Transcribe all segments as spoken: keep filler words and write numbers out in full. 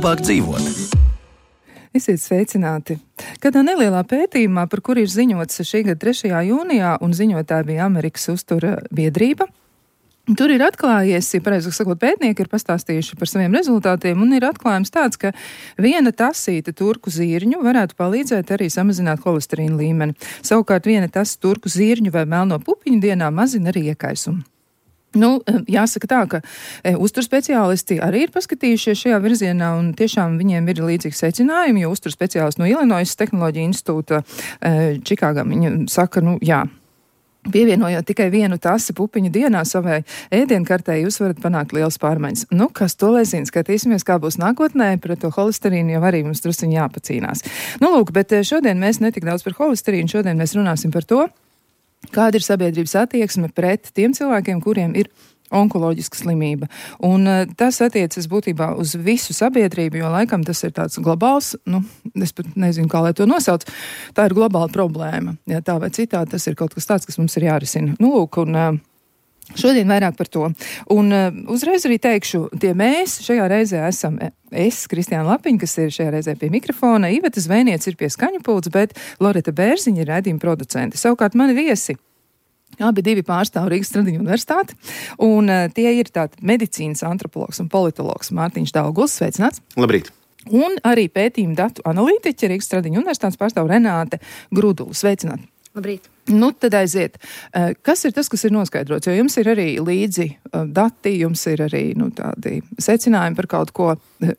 labāk dzīvot. Esiet sveicināti. Kādā nelielā pētījumā, par kuru ir ziņots šī gada trešajā jūnijā, un ziņotāja bija Amerikas uztura biedrība, tur ir atklājies, ja pareizāk sakot, pētnieki ir pastāstījuši par saviem rezultātiem, un ir atklājums tāds, ka viena tasīte turku zirņu varētu palīdzēt arī samazināt holesterīna līmeni. Savukārt viena tas turku zirņu vai melno pupiņu dienā mazina arī iekaisumu. Nu, jāsaka tā, ka e, uzturspeciālisti arī ir paskatījušies šajā virzienā, un tiešām viņiem ir līdzīgi secinājumi, jo uzturspeciālisti no Illinois Tehnoloģija institūta e, Čikāgā, viņi saka, nu jā, pievienojot tikai vienu tasi pupiņu dienā savai ēdienkartē, jūs varat panākt liels pārmaiņas. Nu, kas to lai zina, skatīsimies, kā būs nākotnē, pret to holesterīnu jau arī mums drusciņi jāpacīnās. Nu, lūk, bet šodien mēs netik daudz par holesterīnu, šodien mēs runāsim par to, kāda ir sabiedrības attieksme pret tiem cilvēkiem, kuriem ir onkoloģiska slimība. Un uh, tas attiecas būtībā uz visu sabiedrību, jo laikam tas ir tāds globāls, nu, es pat nezinu, kā lai to nosauc, tā ir globāla problēma. Ja tā vai citā, tas ir kaut kas tāds, kas mums ir jārisina. Nu, lūk, un uh, šodien vairāk par to. Un uh, uzreiz arī teikšu, tie mēs šajā reizē esam es, Kristiāna Lapiņa, kas ir šajā reizē pie mikrofona, Iveta Zvēniec ir pie skaņu pults, bet Loreta Bērziņa ir raidījuma producente. Savukārt mani viesi, abi divi pārstāv Rīgas Stradiņu universitāti, un uh, tie ir tātad medicīnas antropologs un politologs Mārtiņš Dauguls. Sveicināts! Labrīt! Un arī pētījumu datu analītiķi Rīgas Stradiņu universitātes pārstāv Renāte Grudula. Sveicināti! Labrīt! Nu, tad aiziet. Kas ir tas, kas ir noskaidrots? Jo jums ir arī līdzi dati, jums ir arī nu, tādi secinājumi par kaut ko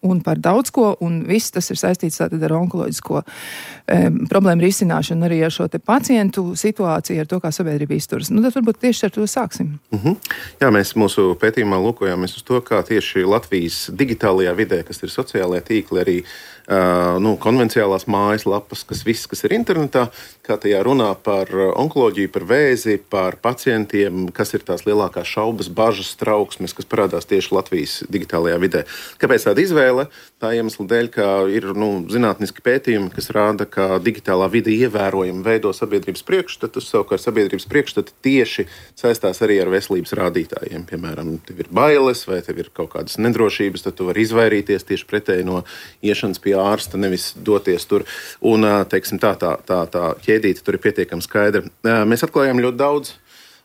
un par daudz ko, un viss tas ir saistīts tātad ar onkoloģisko um, problēmu risināšanu, arī ar šo te pacientu situāciju, ar to, kā sabiedrība izturas. Nu, tad varbūt tieši ar to sāksim. Uh-huh. Jā, mēs mūsu pētījumā lūkojāmies uz to, kā tieši Latvijas digitālajā vidē, kas ir sociālajie tīkli, arī uh, nu, konvenciālās mājaslapas, kas viss, kas ir internetā, kā tajā runā par onkoloģiju, par vēzi, par pacientiem, kas ir tās lielākās šaubas, bažas, trauksmes, kas parādās tieši Latvijas digitālajā vidē. Kāpēc tāda izvēle? Tā iemesla dēļ, ka ir nu, zinātniski pētījumi, kas rāda, ka digitālā vide ievērojami veido sabiedrības priekšstatus, savukārt sabiedrības priekšstati tieši saistās arī ar veselības rādītājiem. Piemēram, tev ir bailes vai tev ir kaut kādas nedrošības, tad tu vari izvairīties tieši pretēji no iešanas pie ārsta, nevis doties tur. Un, teiksim, tā, tā, tā, tā ķēdīte tur ir pietiekami skaidra. Mēs atklājām ļoti daudz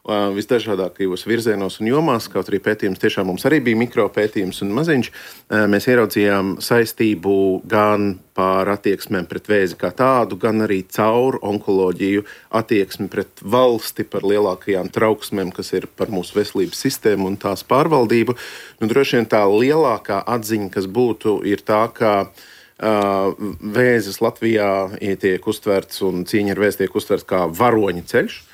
visdažādākajos virzienos un jomās, kaut arī pētījums tiešām mums arī bija mikropētījums un maziņš. Mēs ieraudzījām saistību gan par attieksmēm pret vēzi kā tādu, gan arī caur onkoloģiju attieksmi pret valsti, par lielākajām trauksmēm, kas ir par mūsu veselības sistēmu un tās pārvaldību. Nu, droši vien tā lielākā atziņa, kas būtu, ir tā, ka Uh, vēzis Latvijā tiek uztverts un cīņa ar vēzi tiek uztverts kā varoņa ceļš.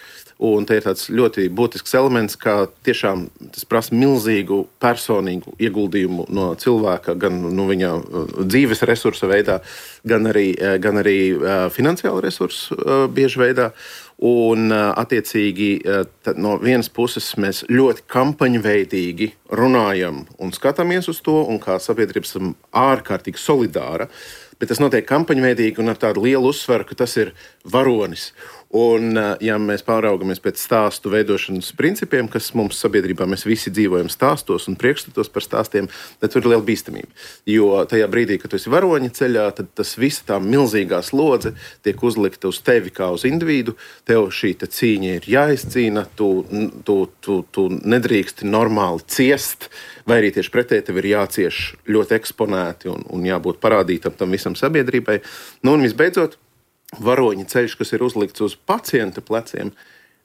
Un te ir tāds ļoti būtisks elements, ka tiešām tas prasa milzīgu personīgu ieguldījumu no cilvēka, gan no viņa dzīves resursa veidā, gan arī, gan arī finansiālu resursu bieži veidā. Un, attiecīgi, no vienas puses mēs ļoti kampaņveidīgi runājam un skatāmies uz to, un kā sabiedrība esam ārkārtīgi solidāra, bet tas notiek kampaņveidīgi un ar tādu lielu uzsveru, ka tas ir varonis. Un, ja mēs pāraugamies pēc stāstu veidošanas principiem, kas mums sabiedrībā, mēs visi dzīvojam stāstos un priekšstatos par stāstiem, tad tur ir liela bīstamība. Jo tajā brīdī, kad tu esi varoņa ceļā, tad tas viss tā milzīgā slodze tiek uzlikta uz tevi kā uz individu. Tev šī cīņa ir jāizcīna, tu, tu, tu, tu nedrīksti normāli ciest, vai arī tieši pretēji tev ir jācieš ļoti eksponēti un, un jābūt parādītam tam visam sabiedrībai. Nu, un visbeidzot, varoņa ceļš, kas ir uzlikts uz pacienta pleciem,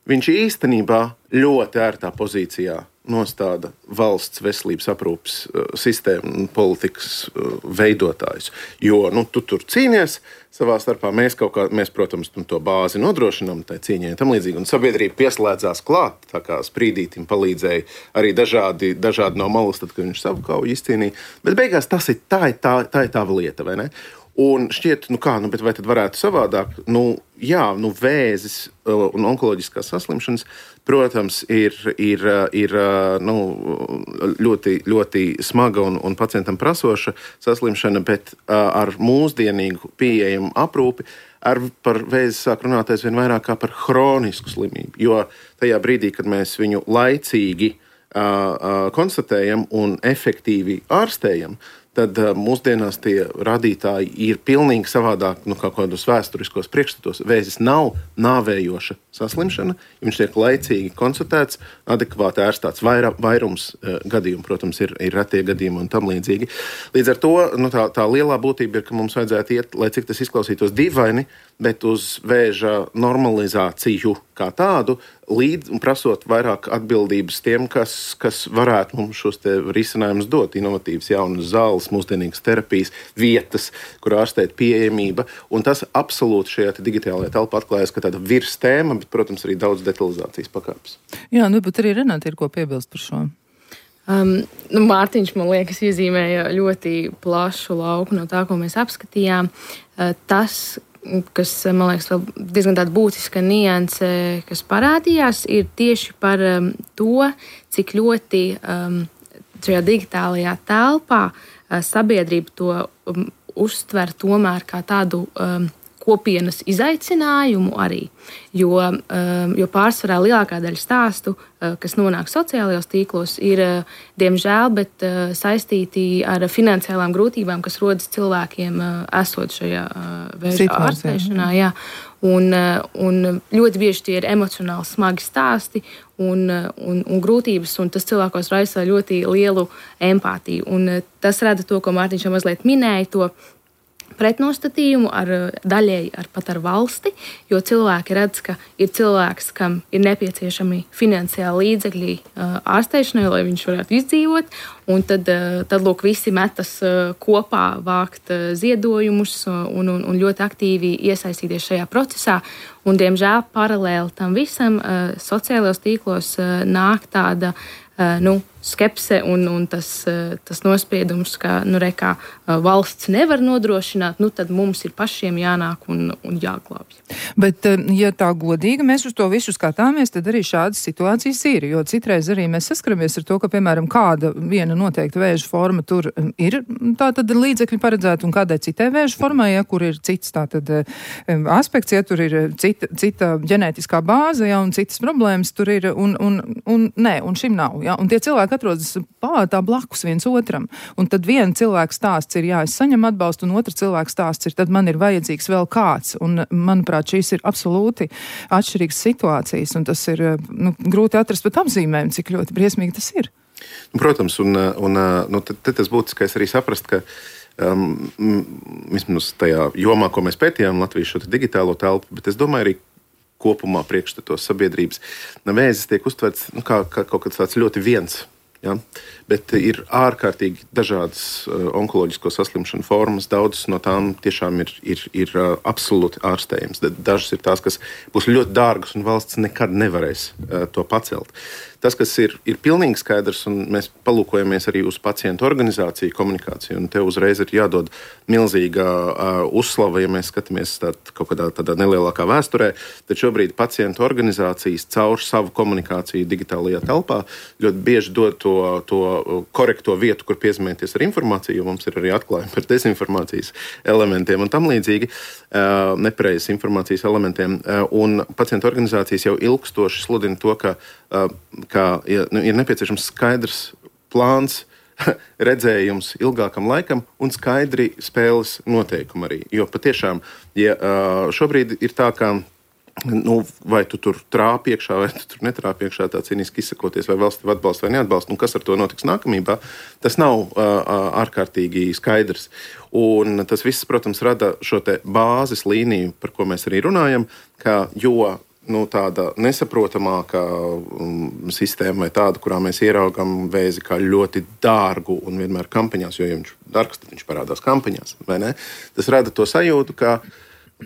viņš īstenībā ļoti ērtā pozīcijā nostāda valsts veselības aprūpes uh, sistēmu un politikas uh, veidotājus. Jo nu, tu tur cīnies savā starpā, mēs, kaut kā, mēs protams, to bāzi nodrošinām tai cīņai tam līdzīgi, un sabiedrība pieslēdzās klāt, tā kā Sprīdītim palīdzēja arī dažādi, dažādi no malas, tad, kad viņš savu kauju izcīnīja. Bet beigās tas ir tā, tā, tā ir tava lieta, vai ne? Un šķiet, nu kā, nu, bet vai tad varētu savādāk? Nu, jā, nu, vēzis un onkoloģiskās saslimšanas, protams, ir, ir, ir nu, ļoti, ļoti smaga un, un pacientam prasoša saslimšana, bet ar mūsdienīgu pieejamu aprūpi ar par vēzi sāk runāt aizvien vairāk kā par hronisku slimību. Jo tajā brīdī, kad mēs viņu laicīgi Uh, uh, konstatējam un efektīvi ārstējam, tad uh, mūsdienās tie rādītāji ir pilnīgi savādāk no nu, kaut kādos vēsturiskos priekšstatos. Vēzis nav nāvējoša saslimšana, viņš tiek laicīgi konstatēts, adekvāti ārstāts vaira, vairums uh, gadījumu, protams, ir, ir retie gadījumi un tam līdzīgi. Līdz ar to nu, tā, tā lielā būtība ir, ka mums vajadzētu iet, lai cik tas izklausītos dīvaini, bet uz vēža normalizāciju kā tādu, līdz prasot vairāk atbildības tiem, kas, kas varētu mums šos te risinājumus dot. Inovatīvas jaunas zāles, mūsdienīgas terapijas, vietas, kur ārstēt pieejamība. Un tas absolūti šajā digitālajā telpā atklājas, ka tāda virs tēma, bet, protams, arī daudz detalizācijas pakāpes. Jā, nu, bet arī Renāte ir ko piebilst par šo. Um, nu, Mārtiņš, man liekas, iezīmēja ļoti plašu lauku no tā, ko mēs apskatījām. Uh, tas, kas, man liekas, vēl diezgan tāda būtiska nianse, kas parādījās, ir tieši par um, to, cik ļoti um, šajā digitālajā telpā uh, sabiedrība to um, uztver tomēr kā tādu um, kopienas izaicinājumu arī, jo, um, jo pārsvarā lielākā daļa stāstu, uh, kas nonāk sociālajos tīklos, ir, uh, diemžēl, bet uh, saistīti ar finansiālām grūtībām, kas rodas cilvēkiem uh, esot šajā uh, vēža ārstēšanā. Jā. Un, uh, un ļoti bieži tie ir emocionāli smagi stāsti un, uh, un, un grūtības, un tas cilvēkos raisa ļoti lielu empātiju. Un uh, tas rada to, ko Mārtiņš jau mazliet minēja, to pretnostatījumu ar daļēji ar pat ar valsti, jo cilvēki redz, ka ir cilvēks, kam ir nepieciešami finansiāli līdzekļi ārstēšanai, lai viņš varētu izdzīvot, un tad, tad lūk, visi metas kopā vākt ziedojumus un, un, un ļoti aktīvi iesaistīties šajā procesā. Un, diemžēl, paralēli tam visam sociālajos tīklos nāk tāda nu, skepse un, un tas, tas nospiedums, ka nu, re, kā, valsts nevar nodrošināt, nu, tad mums ir pašiem jānāk un, un jāglābj. Bet, ja tā godīgi mēs uz to visu skatāmies, tad arī šādas situācijas ir, jo citreiz arī mēs saskaramies ar to, ka, piemēram, kāda viena noteikta vēža forma tur ir tā tad līdzekļi paredzēta un kādai citai vēža formai, ja, kur ir cits tā tad aspekts, ja tur ir cita, cita ģenētiskā bāze, ja, un citas problēmas tur ir, un, un, un nē, un šim nav, ja, un tie cilvēki atrodas palātā blakus viens otram. Un tad viena cilvēka stāsts ir, jā, es saņemu atbalstu, un otra cilvēka stāsts ir, tad man ir vajadzīgs vēl kāds. Un, manuprāt, šīs ir absolūti atšķirīgas situācijas, un tas ir nu, grūti atrast pat apzīmējumu, cik ļoti briesmīgi tas ir. Protams, un, un nu, te, te tas būtiskais arī saprast, ka um, vismaz tajā jomā, ko mēs pētījām Latvijas šo digitālo telpu, bet es domāju arī kopumā priekšstatos sabiedrības, vēzis tiek uztverts nu, kā, kā kaut kas tāds ļoti viens. Ja? Bet ir ārkārtīgi dažādas uh, onkoloģisko saslimšanu formas. Daudzas no tām tiešām ir, ir, ir uh, absolūti ārstējams. Dažas ir tās, kas būs ļoti dārgas un valsts nekad nevarēs uh, to pacelt. Tas, kas ir, ir pilnīgi skaidrs, un mēs palūkojamies arī uz pacientu organizāciju, komunikāciju, un te uzreiz ir jādod milzīga uh, uzslava, ja mēs skatāmies tā, kaut kādā tādā nelielākā vēsturē, tad šobrīd pacientu organizācijas caur savu komunikāciju digitālajā telpā ļoti bieži dod to, to korekto vietu, kur piezīmēties ar informāciju, jo mums ir arī atklājumi par dezinformācijas elementiem un tam līdzīgi, uh, nepareizas informācijas elementiem, uh, un pacientu organizācijas jau ilgstoši sludina to, ka uh, ka ja, nu, ir nepieciešams skaidrs plāns, redzējums ilgākam laikam un skaidri spēles noteikumi arī. Jo patiešām, ja šobrīd ir tā, ka nu, vai tu tur trāp iekšā, vai tu tur netrāp iekšā, tā cīniski izsakoties, vai valsts tev atbalsta vai neatbalsta, un kas ar to notiks nākamībā, tas nav uh, ārkārtīgi skaidrs. Un tas viss, protams, rada šo te bāzes līniju, par ko mēs arī runājam, ka jo nu, tāda nesaprotamāka um, sistēma vai tāda, kurā mēs ieraugam vēzi kā ļoti dārgu un vienmēr kampaņās, jo ja viņš dārgs, tad viņš parādās kampaņās, vai ne? Tas rada to sajūtu, ka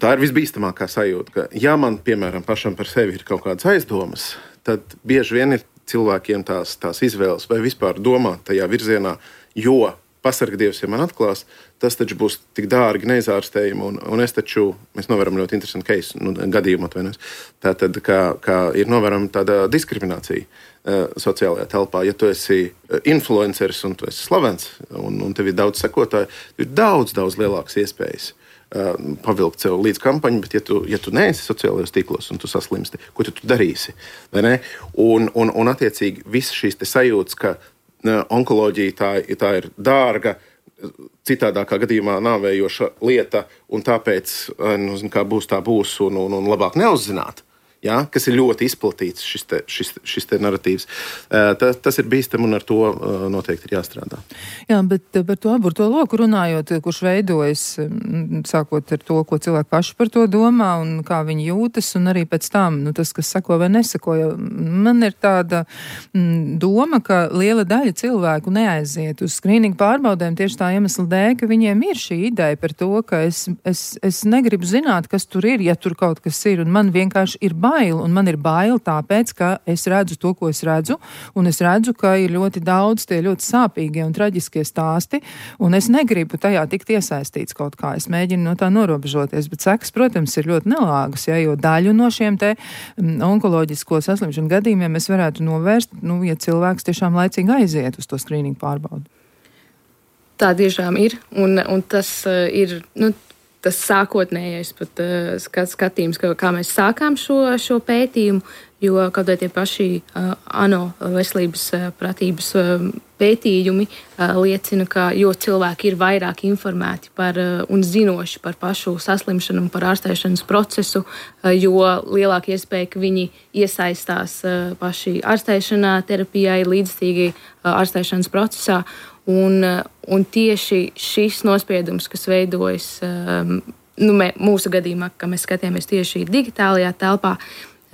tā ir visbīstamākā sajūta, ka ja man, piemēram, pašam par sevi ir kaut kādas aizdomas, tad bieži vien ir cilvēkiem tās, tās izvēles vai vispār domāt tajā virzienā, jo pasargi Dievs, ja man atklās, tas taču būs tik dārgi neizārstējumi, un, un es taču, mēs novēram ļoti interesantu case, nu, gadījumu atvainojos. Tātad, kā, kā ir novērama tāda diskriminācija uh, sociālajā telpā. Ja tu esi influenceris un tu esi slavens, un, un tev ir daudz sekotāju, ir daudz, daudz lielākas iespējas uh, pavilkt sev līdz kampaņu, bet ja tu, ja tu neesi sociālajos tīklos un tu saslimsti, ko tu, tu darīsi? Vai ne? Un, un, un attiecīgi visas šīs te sajūtas, ka onkoloģija tā, tā ir dārga, citādākā gadījumā nāvējoša lieta, un tāpēc, nu, zin, kā būs, tā būs, un, un, un labāk neuzzināt. Ja, kas ir ļoti izplatīts šis, te, šis, šis te narratīvs. Ta, tas ir bīstam un ar to noteikti ir jāstrādā. Jā, bet par to aburto loku runājot, kurš veidojas, sākot ar to, ko cilvēki paši par to domā un kā viņi jūtas, un arī pēc tam, nu, tas, kas sako vai nesako, jo man ir tāda m, doma, ka liela daļa cilvēku neaiziet uz skrīningu pārbaudēm tieši tā iemesla dēļ, ka viņiem ir šī ideja par to, ka es, es, es negribu zināt, kas tur ir, ja tur kaut kas ir, un man vienkārši ir bail. Un man ir bail tāpēc, ka es redzu to, ko es redzu, un es redzu, ka ir ļoti daudz tie ļoti sāpīgie un traģiskie stāsti, un es negribu tajā tikt iesaistīts kaut kā. Es mēģinu no tā norobežoties, bet sekas, protams, ir ļoti nelāgas, ja, jo daļu no šiem te onkoloģisko saslimšanu gadījumiem mēs varētu novērst, nu, ja cilvēks tiešām laicīgi aiziet uz to skrīningu pārbaudu. Tā tiešām ir, un, un tas uh, ir, nu, tas sākotnējais pat uh, skatījums, kā, kā mēs sākām šo, šo pētījumu, jo kaut vai tie paši uh, ANO veselības uh, pratības uh, pētījumi uh, liecina, ka jo cilvēki ir vairāk informēti par uh, un zinoši par pašu saslimšanu un par ārstēšanas procesu, uh, jo lielāka iespēja, ka viņi iesaistās uh, paši ārstēšanā, terapijai, līdzstīgi uh, ārstēšanas procesā. Un, un tieši šis nospiedums, kas veidojas um, nu, mē, mūsu gadījumā, ka mēs skatījāmies tieši digitālajā telpā,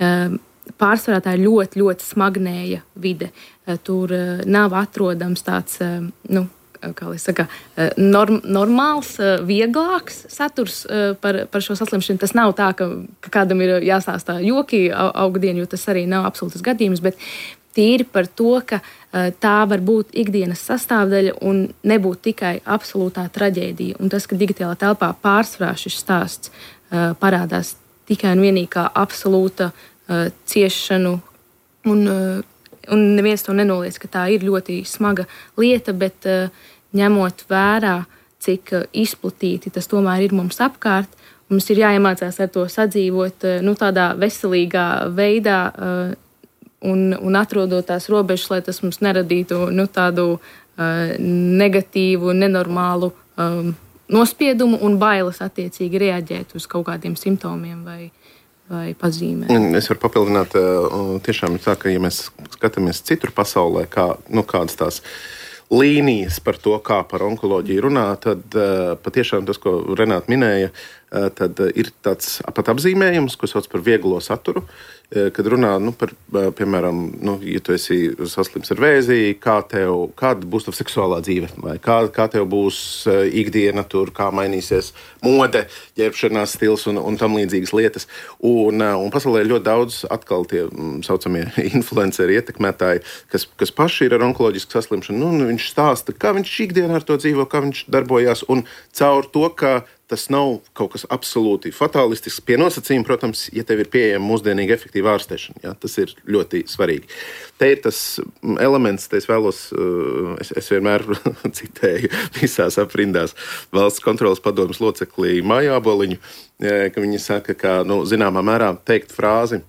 um, pārsvarā tā ir ļoti, ļoti smagnēja vide. Uh, tur uh, nav atrodams tāds, uh, nu, kā lai saka, uh, norm, normāls, uh, vieglāks saturs uh, par, par šo saslimšanu. Tas nav tā, ka, ka kādam ir jāstāstā joki augdien, jo tas arī nav absolūtas gadījums, bet tīri par to, ka uh, tā var būt ikdienas sastāvdaļa un nebūt tikai absolūtā traģēdija. Un tas, ka digitālā telpā pārsvarā šis stāsts uh, parādās tikai un vienīgi kā absolūta uh, ciešanu, un, uh, un neviens to nenoliedz, ka tā ir ļoti smaga lieta, bet uh, ņemot vērā, cik uh, izplatīti tas tomēr ir mums apkārt, mums ir jāiemācās ar to sadzīvot uh, nu, tādā veselīgā veidā, uh, Un, un atrodot tās robežas, lai tas mums neradītu nu, tādu uh, negatīvu, nenormālu um, nospiedumu un bailes attiecīgi reaģēt uz kaut kādiem simptomiem vai, vai pazīmēm. Es varu papildināt, tiešām tā, ka ja mēs skatāmies citur pasaulē, kā, nu, kādas tās līnijas par to, kā par onkoloģiju runā, tad uh, patiešām tas, ko Renāta minēja, uh, tad ir tāds pat apzīmējums, ko sauc par vieglo saturu, uh, kad runā nu, par, uh, piemēram, nu, ja tu esi saslims ar vēzi, kā tev, kāda būs tava seksuālā dzīve, vai kā, kā tev būs uh, ikdiena tur, kā mainīsies mode, ģērbšanās stils un, un tam līdzīgas lietas. Un, uh, un pasaulē ir ļoti daudz atkal tie mm, saucamie influenceri, ietekmētāji, kas, kas paši ir ar onkoloģisku saslimšanu. Nu, viņš stāsta, kā viņš ikdienā ar to dzīvo, kā viņš darbojās, un caur to, ka tas nav kaut kas absolūti fatālistisks pie nosacījuma, protams, ja tev ir pieejama mūsdienīga efektīva ārstēšana. Ja, tas ir ļoti svarīgi. Te ir tas elements, te es vēlos, es, es vienmēr citēju visās aprindās valsts kontrolas padomes loceklī Māju Āboliņu, ka viņi saka, ka, nu, zināmā mērā teikt frāzi,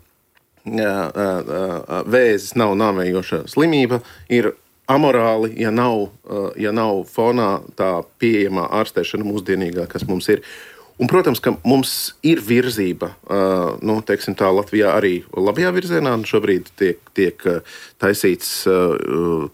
vēzis nav nāvējoša slimība, ir amorāli, ja nav, ja nav fonā tā pieejamā ārstēšana mūsdienīgā, kas mums ir. Un, protams, ka mums ir virzība, nu, teiksim tā, Latvijā arī labajā virzienā. Šobrīd tiek, tiek taisīts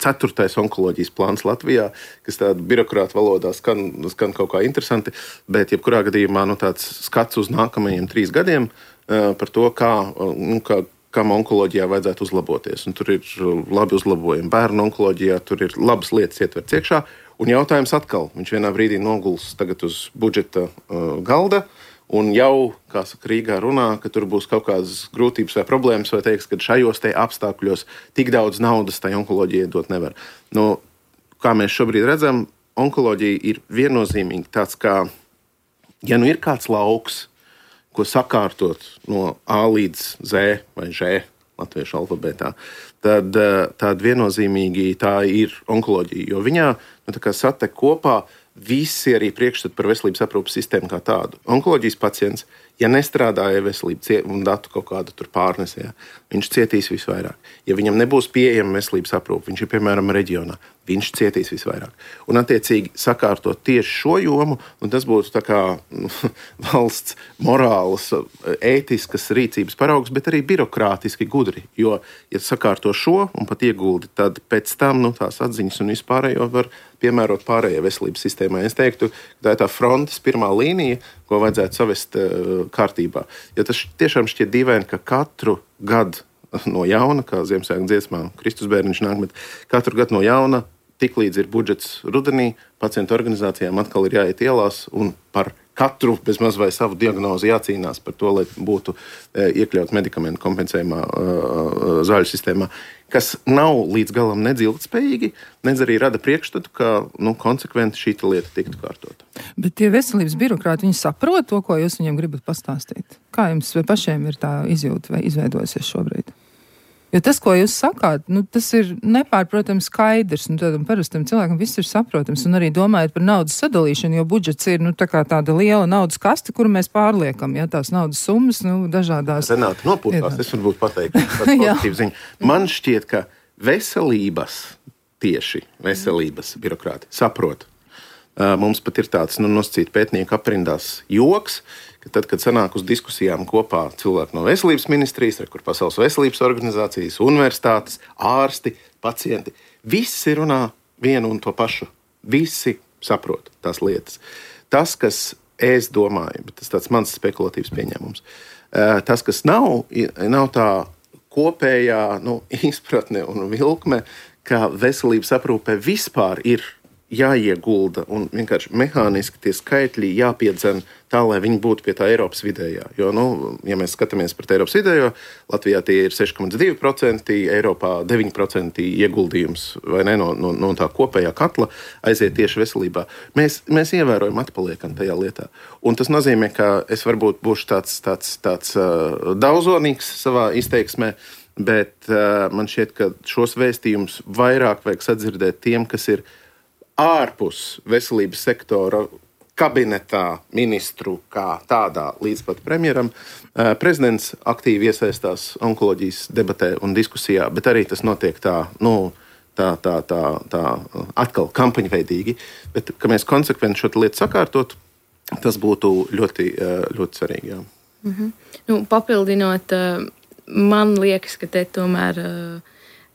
ceturtais onkoloģijas plāns Latvijā, kas tāda birokrāta valodā skan, skan kaut kā interesanti, bet jebkurā gadījumā nu, tāds skats uz nākamajiem trīs gadiem par to, kā, nu, kā kam onkoloģijā vajadzētu uzlaboties. Un tur ir labi uzlabojumi. Bērnu onkoloģijā tur ir labas lietas ietverts iekšā. Un jautājums atkal, viņš vienā brīdī noguls tagad uz budžeta uh, galda, un jau, kā saka, Rīgā runā, ka tur būs kaut kādas grūtības vai problēmas, vai teiks, ka šajos te apstākļos tik daudz naudas tai onkoloģijai dot nevar. Nu, kā mēs šobrīd redzam, onkoloģija ir viennozīmīgi tāds kā, ja nu ir kāds lauks, ko sakārtot no A līdz Z vai Ž latviešu alfabētā, tad, tad viennozīmīgi tā ir onkoloģija, jo viņā nu, tā kā satek kopā visi arī priekšstati par veselības aprūpas sistēmu kā tādu. Onkoloģijas pacients, Ja nestrādāja veselība un datu kaut kādu tur pārnesē, viņš cietīs visvairāk. Ja viņam nebūs pieejama veselības aprūpe, viņš ir piemēram reģionā, viņš cietīs visvairāk. Un attiecīgi sakārtot tieši šo jomu, un tas būtu tā kā nu, valsts morāls, ētiskas rīcības paraugs, bet arī birokrātiski gudri. Jo, ja sakārto šo un pat ieguldi, tad pēc tam nu, tās atziņas un vispārējo var piemērot pārējai veselības sistēmai. Es teiktu, ka tā ir tā frontes pirmā līnija, ko vajadzētu savest uh, kārtībā. Ja tas tiešām šķiet dīvaini, ka katru gadu no jauna, kā Ziemassvētku dziesmā Kristus bērniņš nāk, bet katru gadu no jauna, tik līdz ir budžets rudenī, pacientu organizācijām atkal ir jāiet ielās un par katru bezmaz vai savu diagnozi jācīnās par to, lai būtu e, iekļaut medikamentu kompensējumā e, zāļu sistēmā, kas nav līdz galam nedz ilgtspējīgi, nedz arī rada priekšstatu, ka nu, konsekventi šī lieta tiktu kārtota. Bet tie veselības birokrāti, viņi saprot to, ko jūs viņiem gribat pastāstīt? Kā jums pašiem ir tā izjūta vai izveidojusies šobrīd? Jo tas, ko jūs sakāt, nu, tas ir nepārprotams skaidrs, un tādam parastam cilvēkam viss ir saprotams, un arī domājot par naudas sadalīšanu, jo budžets ir, nu, tā kā tāda liela naudas kaste, kuru mēs pārliekam, ja tās naudas summas, nu, dažādās. Renāta nopūtās, es varbūt pateiktu, tāds pozitīvs ziņa. Man šķiet, ka veselības, tieši veselības birokrāti saprot. Mums pat ir tāds, nu, nosacīt pētnieku aprindās joks, ka tad, kad sanāk uz diskusijām kopā cilvēki no veselības ministrijas, kur Pasaules veselības organizācijas, universitātes, ārsti, pacienti, visi runā vienu un to pašu. Visi saprot tās lietas. Tas, kas es domāju, bet tas tāds mans spekulatīvs pieņēmums, tas, kas nav, nav tā kopējā nu, izpratne un vilkme, ka veselības aprūpē vispār ir jāiegulda un vienkārši mehāniski tie skaitļi jāpiedzen tā, lai viņi būtu pie tā Eiropas vidējā. Jo, nu, ja mēs skatāmies pret Eiropas vidējo, Latvijā tie ir seši komats divi procenti, Eiropā deviņi procenti ieguldījums vai ne, no, no, no tā kopējā katla aiziet tieši veselībā. Mēs, mēs ievērojam atpaliekam tajā lietā. Un tas nozīmē, ka es varbūt būšu tāds, tāds, tāds uh, daudzonīgs savā izteiksmē, bet uh, man šķiet, ka šos vēstījumus vairāk vajag sadzirdēt tiem, kas ir ārpus veselības sektora kabinetā ministru kā tādā līdz pat premjeram. Prezidents aktīvi iesaistās onkoloģijas debatē un diskusijā, bet arī tas notiek tā, nu, tā, tā, tā, tā atkal kampaņveidīgi. Bet, ka mēs konsekventi šo lietu sakārtot, tas būtu ļoti, ļoti svarīgi. Jā. Mhm. Nu, papildinot, man liekas, ka te tomēr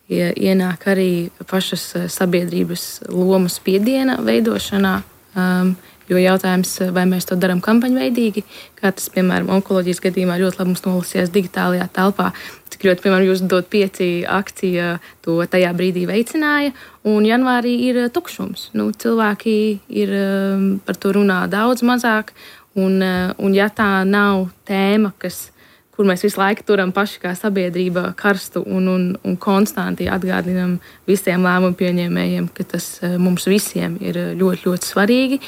ienāk arī pašas sabiedrības lomas spiediena veidošanā, um, jo jautājums, vai mēs to darām kampaņveidīgi, kā tas, piemēram, onkoloģijas gadījumā ļoti labi mums nolasījās digitālajā telpā, cik ļoti, piemēram, jūs dot pieci akcija to tajā brīdī veicināja, un janvārī ir tukšums. Nu, cilvēki ir um, par to runā daudz mazāk, un, uh, un ja tā nav tēma, kas kur mēs visu laiku turam paši kā sabiedrība karstu un, un, un konstanti atgādinam visiem lēmumu pieņēmējiem, ka tas mums visiem ir ļoti, ļoti svarīgi,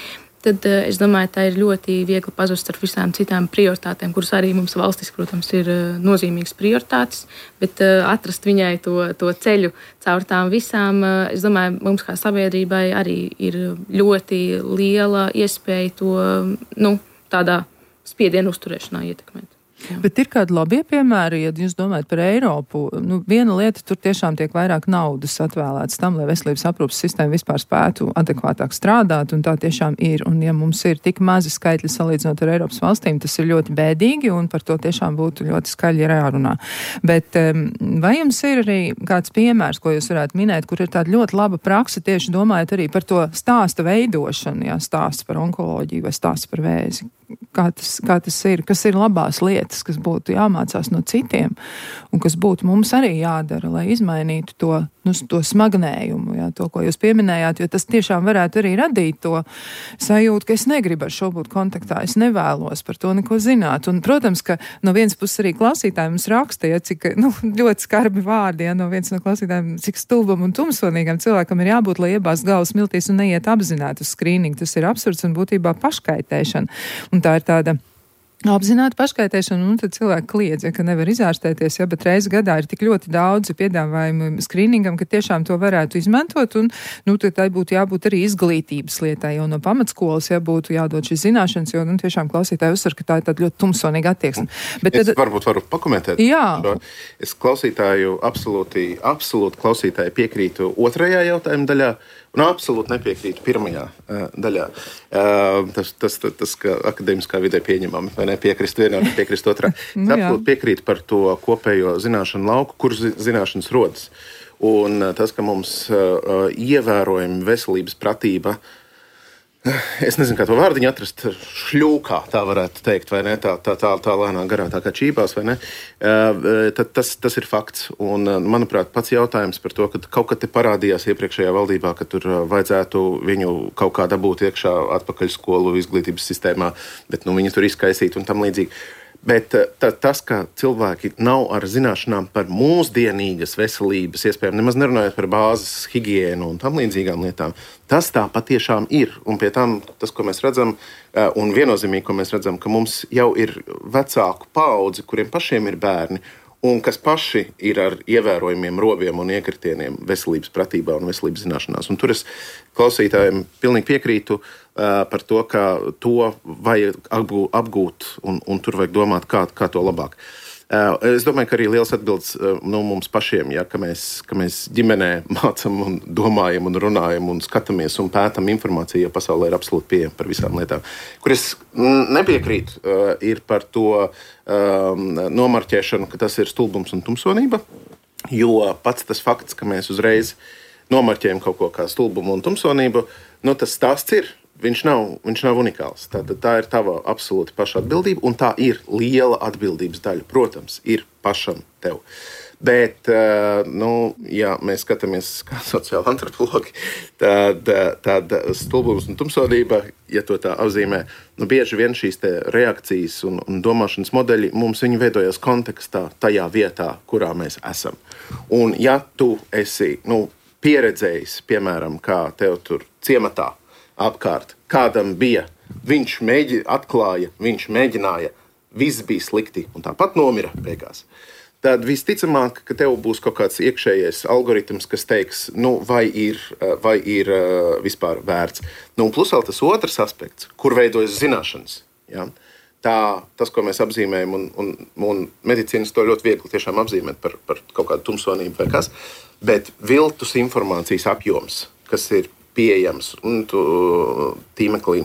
tad es domāju, tā ir ļoti viegli pazust ar visām citām prioritātēm, kuras arī mums valstiski, protams, ir nozīmīgas prioritātes, bet atrast viņai to, to ceļu caur tām visām, es domāju, mums kā sabiedrībai arī ir ļoti liela iespēja to, nu, tādā spiedienu uzturēšanā ietekmēt. Jā. Bet ir kādi labie piemēri, ja jūs domājat par Eiropu, nu, viena lieta, tur tiešām tiek vairāk naudas atvēlēts tam, lai veselības aprūpas sistēma vispār spētu adekvātāk strādāt, un tā tiešām ir. Un ja mums ir tik mazi skaitļi salīdzinot ar Eiropas valstīm, tas ir ļoti bēdīgi, un par to tiešām būtu ļoti skaļi jārunā. Bet vai jums ir arī kāds piemērs, ko jūs varētu minēt, kur ir tāda ļoti laba praksa, tieši domājot arī par to stāsta veidošanu, jā, stāsts par onkoloģiju vai stāsts par vēzi? Kā tas, kā tas ir, kas ir labās lietas, kas būtu jāmācās no citiem un kas būtu mums arī jādara, lai izmainītu to, nu, to smagnējumu, jā, to, ko jūs pieminējāt, jo tas tiešām varētu arī radīt to sajūtu, ka es negribu ar šo būt kontaktā, es nevēlos par to neko zināt. Un, protams, ka no vienas puses arī klausītāji mums raksta, ja, cik nu, ļoti skarbi vārdi, ja, no viens no klausītājiem, cik stulbam un tumsonīgam cilvēkam ir jābūt, lai iebāzt galvas miltīs un neiet apzināti uz skrīningu. Tas ir absurds un būtībā paškaitēšana. Un tā ir tāda apzināti paškaitēšanu, un tad cilvēki kliedz, ja, ka nevar izārstēties, ja, bet reizi gadā ir tik ļoti daudzi piedāvājumi skrīningam, ka tiešām to varētu izmantot, un, nu, tad tai būtu jābūt arī izglītības lietai, jo no pamatskolas, ja, būtu jādod šīs zināšanas, jo, nu, tiešām klausītāji uzsver, ka tā ir tāda ļoti tumsonīga attieksme. Bet es tad, varbūt varu pakomentēt. Jā. Šo. Es klausītāju absolūti, absolūti klausītāju piekrītu otrajā jautājuma daļā, un absolūti nepiekrītu pirmajā uh, daļā. Uh, tas, tas, tas, tas ka akadēmiskā vidē pieņemami, vai ne, piekrist vienā, nepiekrist otrā. Es absolūti piekrītu par to kopējo zināšanu lauku, kur zināšanas rodas. Un uh, tas, ka mums uh, ievērojami veselības pratība, es nezinu, kā to vārdiņu atrast, šļūkā, tā varētu teikt, vai ne, tā, tā, tā, tā lēnā garā, tā kā čībās, vai ne, tad tas, tas ir fakts. Un, manuprāt, pats jautājums par to, ka kaut kad te parādījās iepriekšējā valdībā, ka tur vajadzētu viņu kaut kā dabūt iekšā atpakaļ skolu izglītības sistēmā, bet, nu, viņi tur izkaisīt un tam līdzīgi. Bet ta, tas, ka cilvēki nav ar zināšanām par mūsdienīgas veselības iespējām, nemaz nerunājot par bāzes higiēnu un tam līdzīgām lietām, tas tā patiešām ir. Un pie tam tas, ko mēs redzam, un viennozīmīgi, ko mēs redzam, ka mums jau ir vecāku paudzi, kuriem pašiem ir bērni, un kas paši ir ar ievērojumiem roviem un iekritieniem veselības pratībā un veselības zināšanās. Un tur es klausītājiem pilnīgi piekrītu uh, par to, ka to vajag apgūt un, un tur vajag domāt, kā, kā to labāk. Uh, es domāju, ka arī liels atbildes uh, no mums pašiem, ja, ka, mēs, ka mēs ģimenē mācam un domājam un runājam un skatāmies un pētam informāciju, jo pasaulē ir absolūti pieejama par visām lietām. Kur es nepiekrītu, uh, ir par to um, nomarķēšanu, ka tas ir stulbums un tumsonība, jo pats tas fakts, ka mēs uzreiz nomarķējam kaut ko kā stulbumu un tumsonību, nu tas stāsts ir. Viņš nav, viņš nav unikāls. Tā, tā ir tava absolūti paša atbildība, un tā ir liela atbildības daļa. Protams, ir pašam tev. Bet, nu, ja mēs skatāmies kā sociāli antropologi, tad, tad stulbums un tumsonība, ja to tā apzīmē, nu, bieži vien šīs te reakcijas un, un domāšanas modeļi mums viņi veidojas kontekstā tajā vietā, kurā mēs esam. Un ja tu esi, nu, pieredzējis, piemēram, kā tev tur ciematā, apkārt, kādam bija, viņš mēģi, atklāja, viņš mēģināja, viss bija slikti un tāpat nomira beigās. Tad visticamāk, ka tev būs kaut kāds iekšējais algoritms, kas teiks, nu, vai ir, vai ir vispār vērts. Nu, un plus vēl tas otrs aspekts, kur veidojas zināšanas. Ja? Tā, tas, ko mēs apzīmējam, un, un, un medicīnas to ļoti viegli tiešām apzīmēt par, par kaut kādu tumsonību vai kas, bet viltus informācijas apjoms, kas ir pieejams un tu, tīmeklī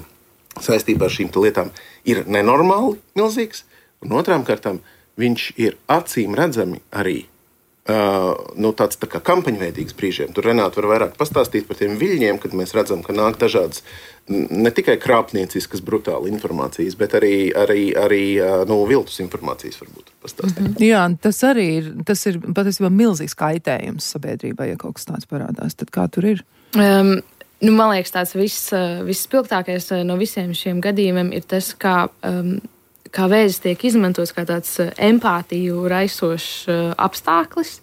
saistībā ar šīm lietām ir nenormāli milzīgs, un otrām kārtām viņš ir acīm redzami arī uh, nu, tāds tā kā kampaņveidīgs brīžiem. Tur Renāta var vairāk pastāstīt par tiem viļņiem, kad mēs redzam, ka nāk dažādas ne tikai krāpnieciskas brutāli informācijas, bet arī, arī, arī uh, nu, viltus informācijas varbūt pastāstīt. Mm-hmm. Jā, tas arī ir, tas ir patiesībā milzīgs kaitējums sabiedrībai, ja kaut kas tāds parādās. Tad kā tur ir? Um, Nu, man liekas, tāds viss, visspilgtākais no visiem šiem gadījumiem ir tas, kā, um, kā vēzis tiek izmantots kā tāds empātiju raisošs apstākļus,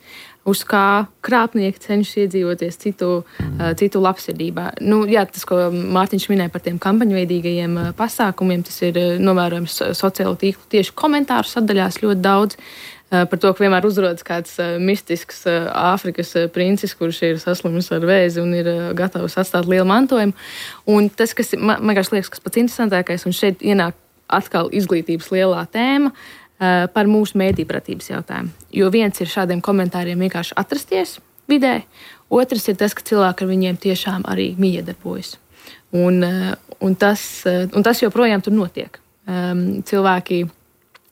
uz kā krāpnieki cenšas iedzīvoties citu, uh, citu labsirdībā. Nu, jā, tas, ko Mārtiņš minēja par tiem kampaņveidīgajiem pasākumiem, tas ir novērojams sociālo tīklu tieši komentāru sadaļās ļoti daudz. Par to, ka vienmēr uzrodas kāds mistisks Āfrikas princis, kurš ir saslimis ar vēzi un ir gatavs atstāt lielu mantojumu. Un tas, kas man, man liekas, kas pats interesantākais, un šeit ienāk atkal izglītības lielā tēma par mūsu mēdīpratības jautājumu. Jo viens ir šādiem komentāriem vienkārši atrasties vidē, otrs ir tas, ka cilvēki ar viņiem tiešām arī miedarbojas. Un, un, tas, un tas joprojām tur notiek. Cilvēki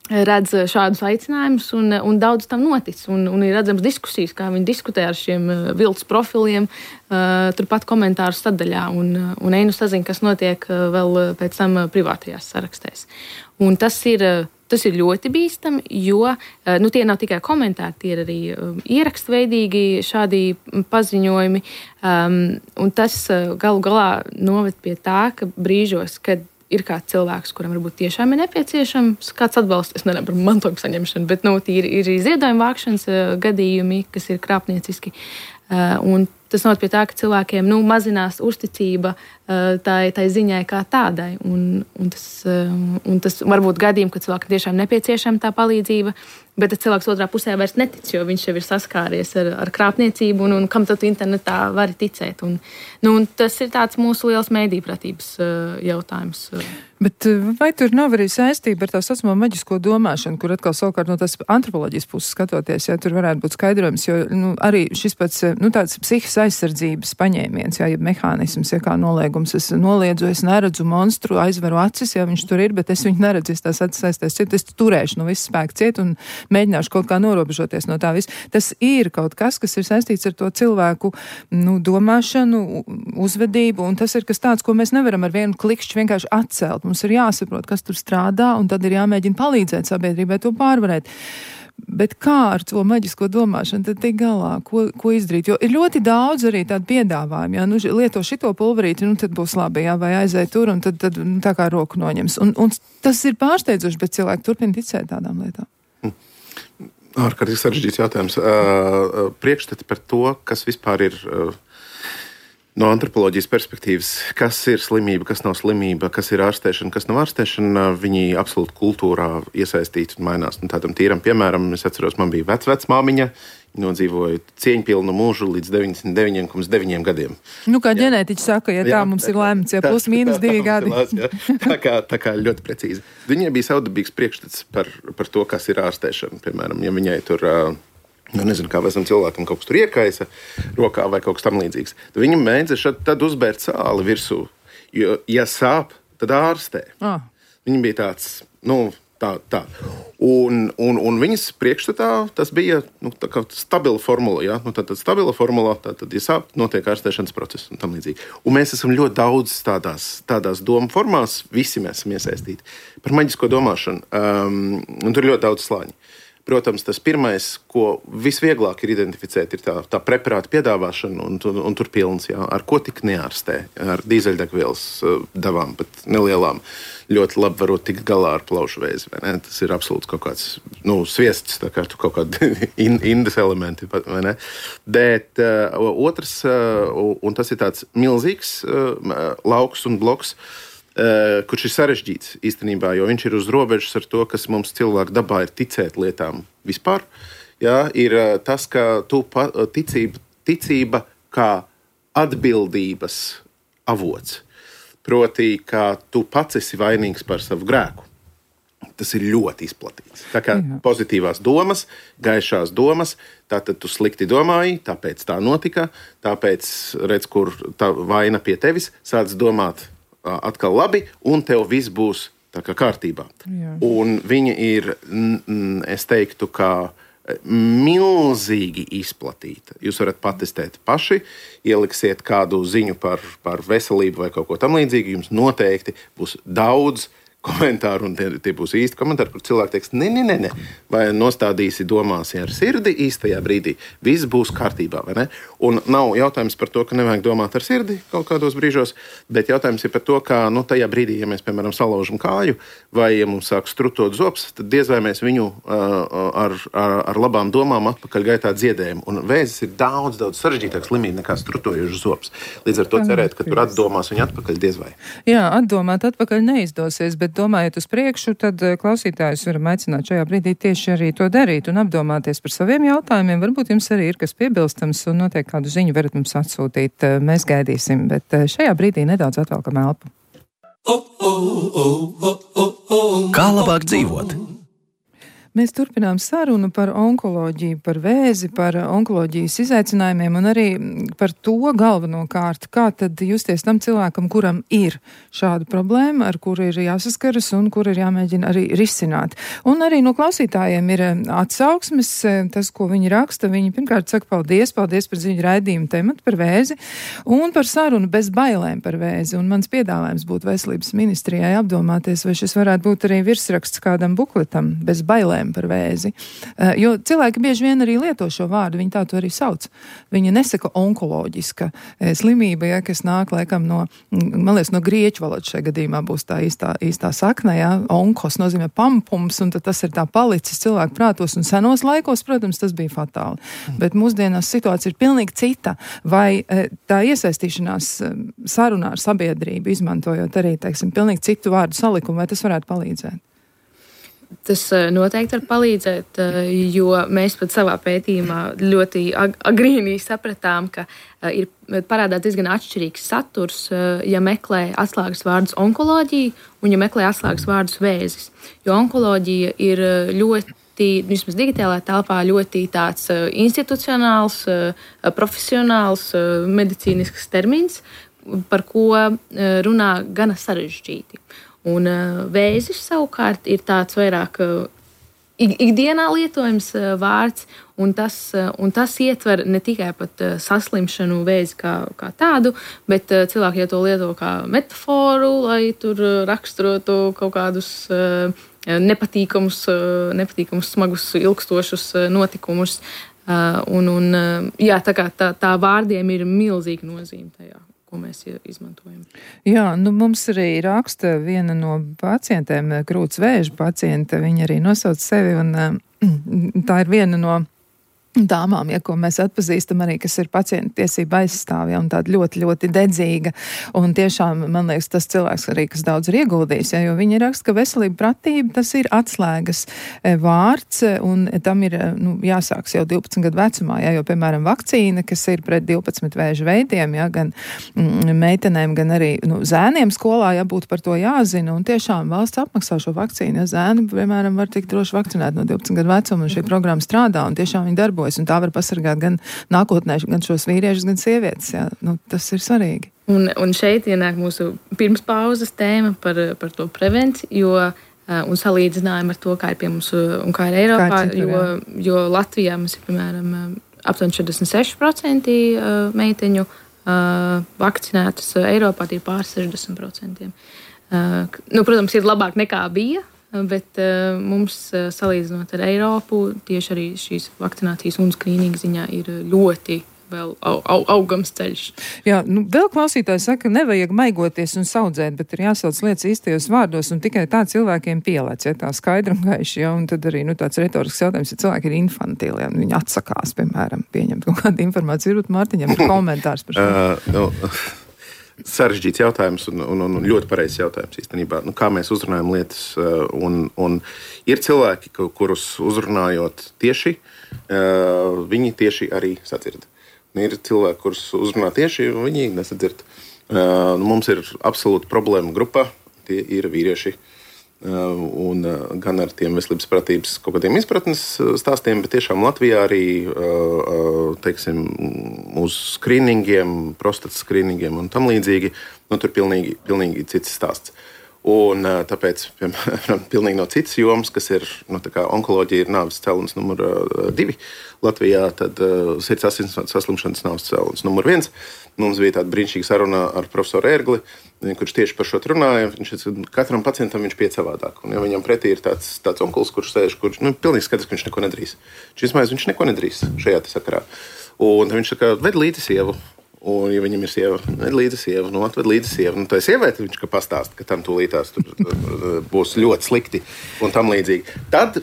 redz šādus aicinājumus, un, un daudz tam notic. Un, un ir redzams diskusijas, kā viņi diskutē ar šiem viltus profiliem, uh, turpat komentāru sadaļā, un, un einu sazina, kas notiek uh, vēl pēc tam privātajās sarakstēs. Un tas ir, tas ir ļoti bīstami, jo uh, nu, tie nav tikai komentāri, tie ir arī uh, ierakstveidīgi šādi paziņojumi, um, un tas uh, galu galā noved pie tā, ka brīžos, kad ir kāds cilvēks, kuram varbūt tiešām ir nepieciešams kāds atbalsts, es nerunāju par mantojumu saņemšanu, bet nu, ir, ir ziedojuma vākšanas uh, gadījumi, kas ir krāpnieciski. Uh, un tas noved pie tā, ka cilvēkiem nu, mazinās uzticība uh, tai, tai ziņai kā tādai. Un, un, tas, uh, un tas var būt gadījumi, kad cilvēkam tiešām nepieciešama tā palīdzība, bet tad cilvēks otrā pusē vairs netic, jo viņš jau ir saskāries ar, ar krāpniecību, un, un kam tad internetā vari ticēt. Un, nu, un tas ir tāds mūsu liels mēdīpratības uh, jautājums. Bet vai tur nav arī saistība ar tā saucamo maģisko domāšanu, kur atkal savukārt no tās antropoloģijas puses skatoties, ja tur varētu būt skaidrojums, jo nu, arī šis pats, nu, tāds psihis aizsardzības paņēmiens, ja, ja mehānisms, ja kā noliegums, es noliedzu, es neredzu monstru, aizveru acis, ja viņš tur ir, bet es viņu neredzu, es tās acis aiztais ciet, es turēšu no visu spēku ciet un mēģināšu kaut kā norobežoties no tā viss. Tas ir kaut kas, kas ir saistīts ar to cilvēku, nu, domāšanu, uzvedību, un tas ir kas tāds, ko mēs nevaram ar vienu klikšķi vienkārši atcelt. Mums ir jāsaprot, kas tur strādā, un tad ir jāmēģina palīdzēt sabiedrībai to pārvarēt. Bet kā ar to maģisko domāšanu tad tik galā? Ko, ko izdarīt? Jo ir ļoti daudz arī tādu piedāvājumu. Ja? Nu, lieto šito pulverīti, nu tad būs labi, ja? Vai aizēj tur, un tad, tad nu, tā kā roku noņems. Un, un tas ir pārsteidzoši, bet cilvēki turpina ticēt tādām lietām. Ārkārtīgi sarežģīts jautājums. Uh, priekšstati par to, kas vispār ir... Uh, No antropoloģijas perspektīvas, kas ir slimība, kas nav slimība, kas ir ārstēšana, kas nav ārstēšana, viņi absolūti kultūrā iesaistīti un mainās. Un tādam tīram piemēram, es atceros, man bija vecvecmāmiņa, nodzīvoja cieņpilnu mūžu līdz deviņdesmit deviņi komats deviņi gadiem. Nu, kā ģenētiķi saka, ja jā, tā mums tā, ir lēmts, ja plus mīnus divi gadi. Jā, tā, kā, tā kā ļoti precīzi. Viņai bija savdabīgs priekšstats par, par to, kas ir ārstēšana. Piemēram, ja viņai tur... Nu, nezinu, kā vēsam cilvēkam kaut kas tur iekaisa rokā vai kaut kas tam līdzīgs. Tad viņam mēdza šad, tad uzbērt sāli virsū, jo, ja sāp, tad ārstē. Ah. Viņam bija tāds, nu, tā, tā. Un, un, un viņas priekšstatā tas bija, nu, tā kā stabila formula, jā. Nu, tad, tad stabila formula, tad, tad, ja sāp, notiek ārstēšanas process un tam līdzīgi. Un mēs esam ļoti daudz tādās, tādās domu formās, visi mēs esam iesaistīti. Par maģisko domāšanu, um, un tur ir ļoti daudz slāņi. Protams, tas pirmais, ko visvieglāk ir identificēt, ir tā, tā preparāta piedāvāšana, un, un, un tur pilns, jā, ar ko tik neārstē, ar dīzeļdegvielas devām, pat nelielām, ļoti labi varot tikt galā ar plaušu vēzi, vai ne? Tas ir absolūts kaut kāds, nu, sviests, tā kā tu kaut kādi in, indas elementi, vai ne? Bet uh, otrs, uh, un tas ir tāds milzīgs uh, lauks un bloks, Uh, kurš ir sarežģīts īstenībā, jo viņš ir uz robežas ar to, kas mums cilvēku dabā ir ticēt lietām vispār. Jā, ir uh, tas, ka tu pa, ticība, ticība kā atbildības avots. Proti, ka tu pats esi vainīgs par savu grēku. Tas ir ļoti izplatīts. Tā kā Jā. Pozitīvās domas, gaišās domas, tātad tu slikti domāji, tāpēc tā notika, tāpēc redz, kur tā vaina pie tevis, sāc domāt atkal labi, un tev viss būs tā kā kārtībā. Jā. Un viņa ir, es teiktu, kā milzīgi izplatīta. Jūs varat patestēt paši, ieliksiet kādu ziņu par, par veselību vai kaut ko tam līdzīgi, jums noteikti būs daudz komentāru, un tie, tie būs īsti komentāri, kur cilvēki teiks, ne, ne, ne, ne, vai nostādīsi domāsi ar sirdi īstajā brīdī, viss būs kārtībā, vai ne? Un nav jautājums par to, ka nevajag domāt ar sirdi kaut kādos brīžos, bet jautājums ir par to, ka, nu, tajā brīdī, ja mēs, piemēram, salaužam kāju, vai ja mums sāk strutot zops, tad diez vai mēs viņu uh, ar, ar, ar labām domām atpakaļ gaitā dziedējam. Un vēzis ir daudz, daudz sarežģītāks slimība nekā strutojušas zops. Līdz ar to cerēt, ka tur atdomās viņu atpakaļ diez vai. Jā, atdomāt atpakaļ neizdosies, bet domājot uz priekšu, tad klausītājus varam aicināt šajā brīdī tieši arī to darīt un apdomāties par saviem jautājumiem. Varbūt jums arī ir kas piebilstams un noteikti kādu ziņu varat mums atsūtīt. Mēs gaidīsim, bet šajā brīdī nedaudz atvelkam elpu. Kā labāk dzīvot? Mēs turpinām sarunu par onkoloģiju, par vēzi, par onkoloģijas izaicinājumiem un arī par to galvenokārt, kā tad justies tam cilvēkam, kuram ir šāda problēma, ar kuru ir jāsaskaras un kur ir jāmēģina arī risināt. Un arī no klausītājiem ir atsauksmes, tas, ko viņi raksta, viņi pirmkārt saka paldies, paldies par ziņu raidījumu tematu par vēzi un par sarunu bez bailēm par vēzi. Un mans piedāvājums būtu veselības ministrijai apdomāties, vai šis varētu būt arī virsraksts kādam bukletam bez bailēm problēma par vēzi. Jo cilvēki bieži vien arī lieto šo vārdu, viņi tā to arī sauc. Viņi nesaka onkoloģiska slimība, ja, kas nāk laikam no, man liekas, no grieķu valodas šajā gadījumā būs tā īstā, īstā sakne, ja, onkos nozīmē pampums, un tad tas ir tā palicis cilvēku prātos, un senos laikos, protams, tas bija fatāli. Bet mūsdienās situācija ir pilnīgi cita. Vai tā iesaistīšanās sarunā ar sabiedrību, izmantojot arī, teiksim, pilnīgi citu vārdu salikumu, vai tas varētu palīdzēt? Tas noteikti var palīdzēt, jo mēs pat savā pētījumā ļoti agrīnī sapratām, ka ir parādās diezgan atšķirīgs saturs, ja meklē atslēgas vārdus onkoloģija un ja meklē atslēgas vārdus vēzis. Jo onkoloģija ir ļoti, vismaz digitālajā telpā, ļoti tāds institucionāls, profesionāls, medicīnisks termins, par ko runā gana sarežģīti. Un uh, vēzis savukārt ir tāds vairāk uh, ikdienā lietojams uh, vārds, un tas, uh, un tas ietver ne tikai pat uh, saslimšanu vēzi kā, kā tādu, bet uh, cilvēki ja to lieto kā metaforu, lai tur uh, raksturotu kaut kādus uh, nepatīkamus, uh, nepatīkamus, smagus, ilgstošus uh, notikumus. Uh, un, un, uh, jā, tā kā tā, tā vārdiem ir milzīga nozīme tajā, ko mēs izmantojam. Jā, nu mums arī raksta viena no pacientēm, krūts vēža pacienta, viņa arī nosauc sevi, un tā ir viena no dāmām, ja, ko mēs atpazīstam arī, kas ir pacientu tiesība aizstāvja, ja, un tāda ļoti, ļoti dedzīga, un tiešām, man liekas, tas cilvēks arī, kas daudz ir ieguldījis, ja, jo viņi raksta, ka veselība pratība, tas ir atslēgas vārds, un tam ir, nu, jāsāks jau divpadsmit gadu vecumā, ja, jo, piemēram, vakcīna, kas ir pret divpadsmit vēža veidiem, ja, gan mm, meitenēm, gan arī, nu, zēniem skolā, ja, būtu par to jāzina, un tiešām valsts apmaksā šo vakcīnu, ja zēni, piemēram, var tik droši vakcinēt no divpadsmit gadu vecuma, un šī programma strādā, un tiešām viņi darbojas. Un tā var pasargāt gan nākotnē, gan šos vīriešus, gan sievietes. Jā. Nu, tas ir svarīgi. Un, un šeit ienāk mūsu pirms pauzes tēma par, par to prevenciju, jo, un salīdzinājumu ar to, kā ir pie mums un kā ir Eiropā, citur, jo, jo Latvijā mums ir, piemēram, aptuveni četrdesmit seši procenti meiteņu vakcinētas, Eiropā tie ir pār sešdesmit procenti. Nu, protams, ir labāk nekā bija, bet uh, mums, uh, salīdzinot ar Eiropu, tieši arī šīs vakcinācijas un skrīninga ziņā ir ļoti vēl au, au, augams ceļš. Jā, nu, vēl klausītāji saka, nevajag maigoties un saudzēt, bet ir jāsauc lietas īstajos vārdos, un tikai tā cilvēkiem pielēc, ja tā skaidri un gaiši, ja, un tad arī, nu, tāds retorisks jautājums, ja cilvēki ir infantili, ja, viņi atsakās, piemēram, pieņemt kaut kādu informāciju, varbūt Mārtiņam ir komentārs par šo. Uh, no. Sarežģīts jautājums un, un, un ļoti pareizs jautājums īstenībā. Nu, kā mēs uzrunājam lietas, un, un ir cilvēki, kurus uzrunājot tieši, viņi tieši arī sadzird. Un ir cilvēki, kurus uzrunā tieši, un viņi nesadzird. Mums ir absolūta problēma grupā, tie ir vīrieši. Un gan ar tiem veselības pratības kaut kādiem izpratnes stāstiem, bet tiešām Latvijā arī, teiksim, uz skrīningiem, prostatas skrīningiem un tam līdzīgi, nu, tur pilnīgi, pilnīgi cits stāsts. Un tāpēc, piemēram, pilnīgi no citas jomas, kas ir, nu, tā kā onkoloģija ir nāves cēlonis numur divi Latvijā, tad uh, sirds asins saslimšanas nāves cēlonis numur viens. Mums bija tāda brīnišķīga saruna ar profesoru Ērgli, kurš tieši par šo runāja. Viņš, katram pacientam viņš pie savādāk. Un ja viņam pretī ir tāds, tāds onkulis, kurš sēž, kurš, nu, pilnīgi skatās, ka viņš neko nedarīs. Šis maiz viņš neko nedarīs šajā sakarā. Un viņš saka, ved līdzi sievu. Un, ja viņam ir sieva, ved līdzi sievu, nu, atved līdzi sievu. Nu, tā sieviete viņš ka pastāsta, ka tam tūlītās tur, tur būs ļoti slikti un tam līdzīgi. Tad,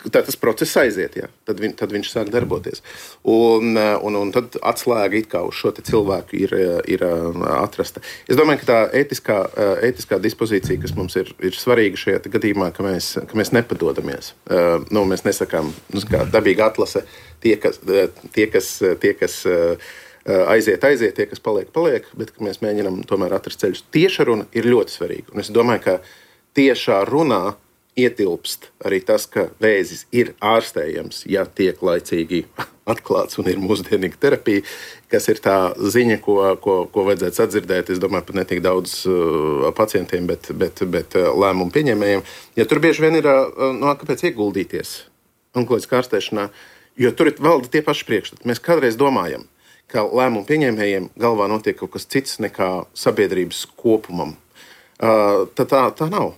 tad tas process aiziet, jā. Tad, viņ, tad viņš sāk darboties. Un, un, un tad atslēga it kā uz šo te cilvēku ir, ir atrasta. Es domāju, ka tā ētiskā, ētiskā dispozīcija, kas mums ir, ir svarīga šajā gadījumā, ka mēs, ka mēs nepadodamies. Nu, mēs nesakām, nu, kā dabīga atlase, tie, kas, tie, kas, tie, kas aiziet, aiziet, tie, kas paliek, paliek, bet mēs mēģinām tomēr atrast ceļus. Tieša runa ir ļoti svarīga. Un es domāju, ka tiešā runā ietilpst arī tas, ka vēzis ir ārstējams, ja tiek laicīgi atklāts un ir mūsdienīga terapija, kas ir tā ziņa, ko, ko, ko vajadzētu sadzirdēt. Es domāju, pat ne tik daudz uh, pacientiem, bet, bet, bet uh, lēmumu pieņēmējiem. Ja tur bieži vien ir, uh, no, kāpēc ieguldīties onkoloģiskā ārstēšanā, jo tur ir valda tie paši priekšstati. Mēs kādreiz domājam, ka lēmumu pieņēmējiem galvā notiek kaut kas cits nekā sabiedrības kopumam. Uh, tā, tā, tā nav.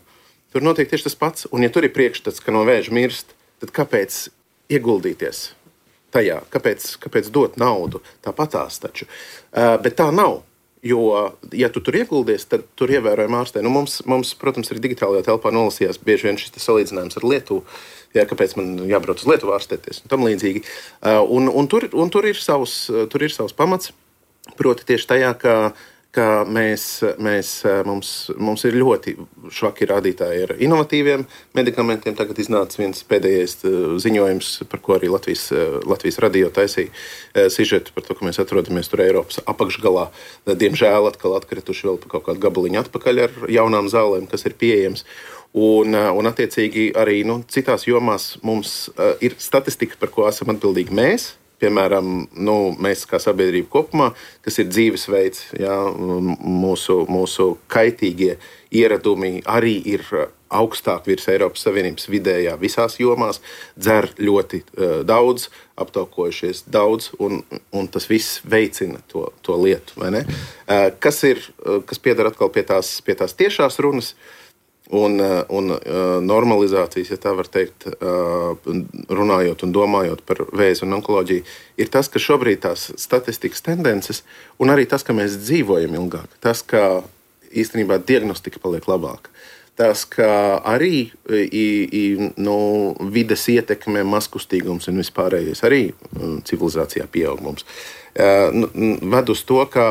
Tur notiek tieši tas pats. Un ja tur ir priekšstats, ka no vēža mirst tad kāpēc ieguldīties tajā? Kāpēc, kāpēc dot naudu? Tāpatās taču. Uh, bet tā nav. Jo, ja tu tur ieguldies, tad tur ievērojami ārstē. Nu, mums, mums, protams, arī digitālajā telpā nolasījās bieži vien šis salīdzinājums ar Lietuvu. Jā, kāpēc man jābrauc uz Lietuvu ārstēties un tam līdzīgi. Uh, un, un, tur, un tur, ir savs, tur ir savs pamats. Proti tieši tajā, ka, ka mēs, mēs, mums, mums ir ļoti švaki rādītāji ar inovatīviem medikamentiem. Tagad iznāca viens pēdējais ziņojums, par ko arī Latvijas, Latvijas radio taisīja sižetu par to, ka mēs atrodamies tur Eiropas apakšgalā. Diemžēl atkal atkrituši vēl pa kaut kādu gabaliņu atpakaļ ar jaunām zālēm, kas ir pieejams. Un, un attiecīgi arī nu, citās jomās mums uh, ir statistika, par ko esam atbildīgi mēs. Piemēram, nu, mēs kā sabiedrība kopumā, kas ir dzīvesveids, jā, mūsu, mūsu kaitīgie ieradumi arī ir augstāk virs Eiropas Savienības vidējā visās jomās, dzer ļoti uh, daudz, aptaukojušies daudz, un, un tas viss veicina to, to lietu, vai ne? Uh, kas ir, uh, kas piedara atkal pie tās, pie tās tiešās runas, Un, un uh, normalizācijas, ja tā var teikt, uh, runājot un domājot par vēzi un onkoloģiju, ir tas, ka šobrīd tās statistikas tendences un arī tas, ka mēs dzīvojam ilgāk, tas, ka īstenībā diagnostika paliek labāka, tas, ka arī i, i, nu, vides ietekme, mazkustīgums un vispārējais arī civilizācijā pieaug mums. Uh, ved uz to, ka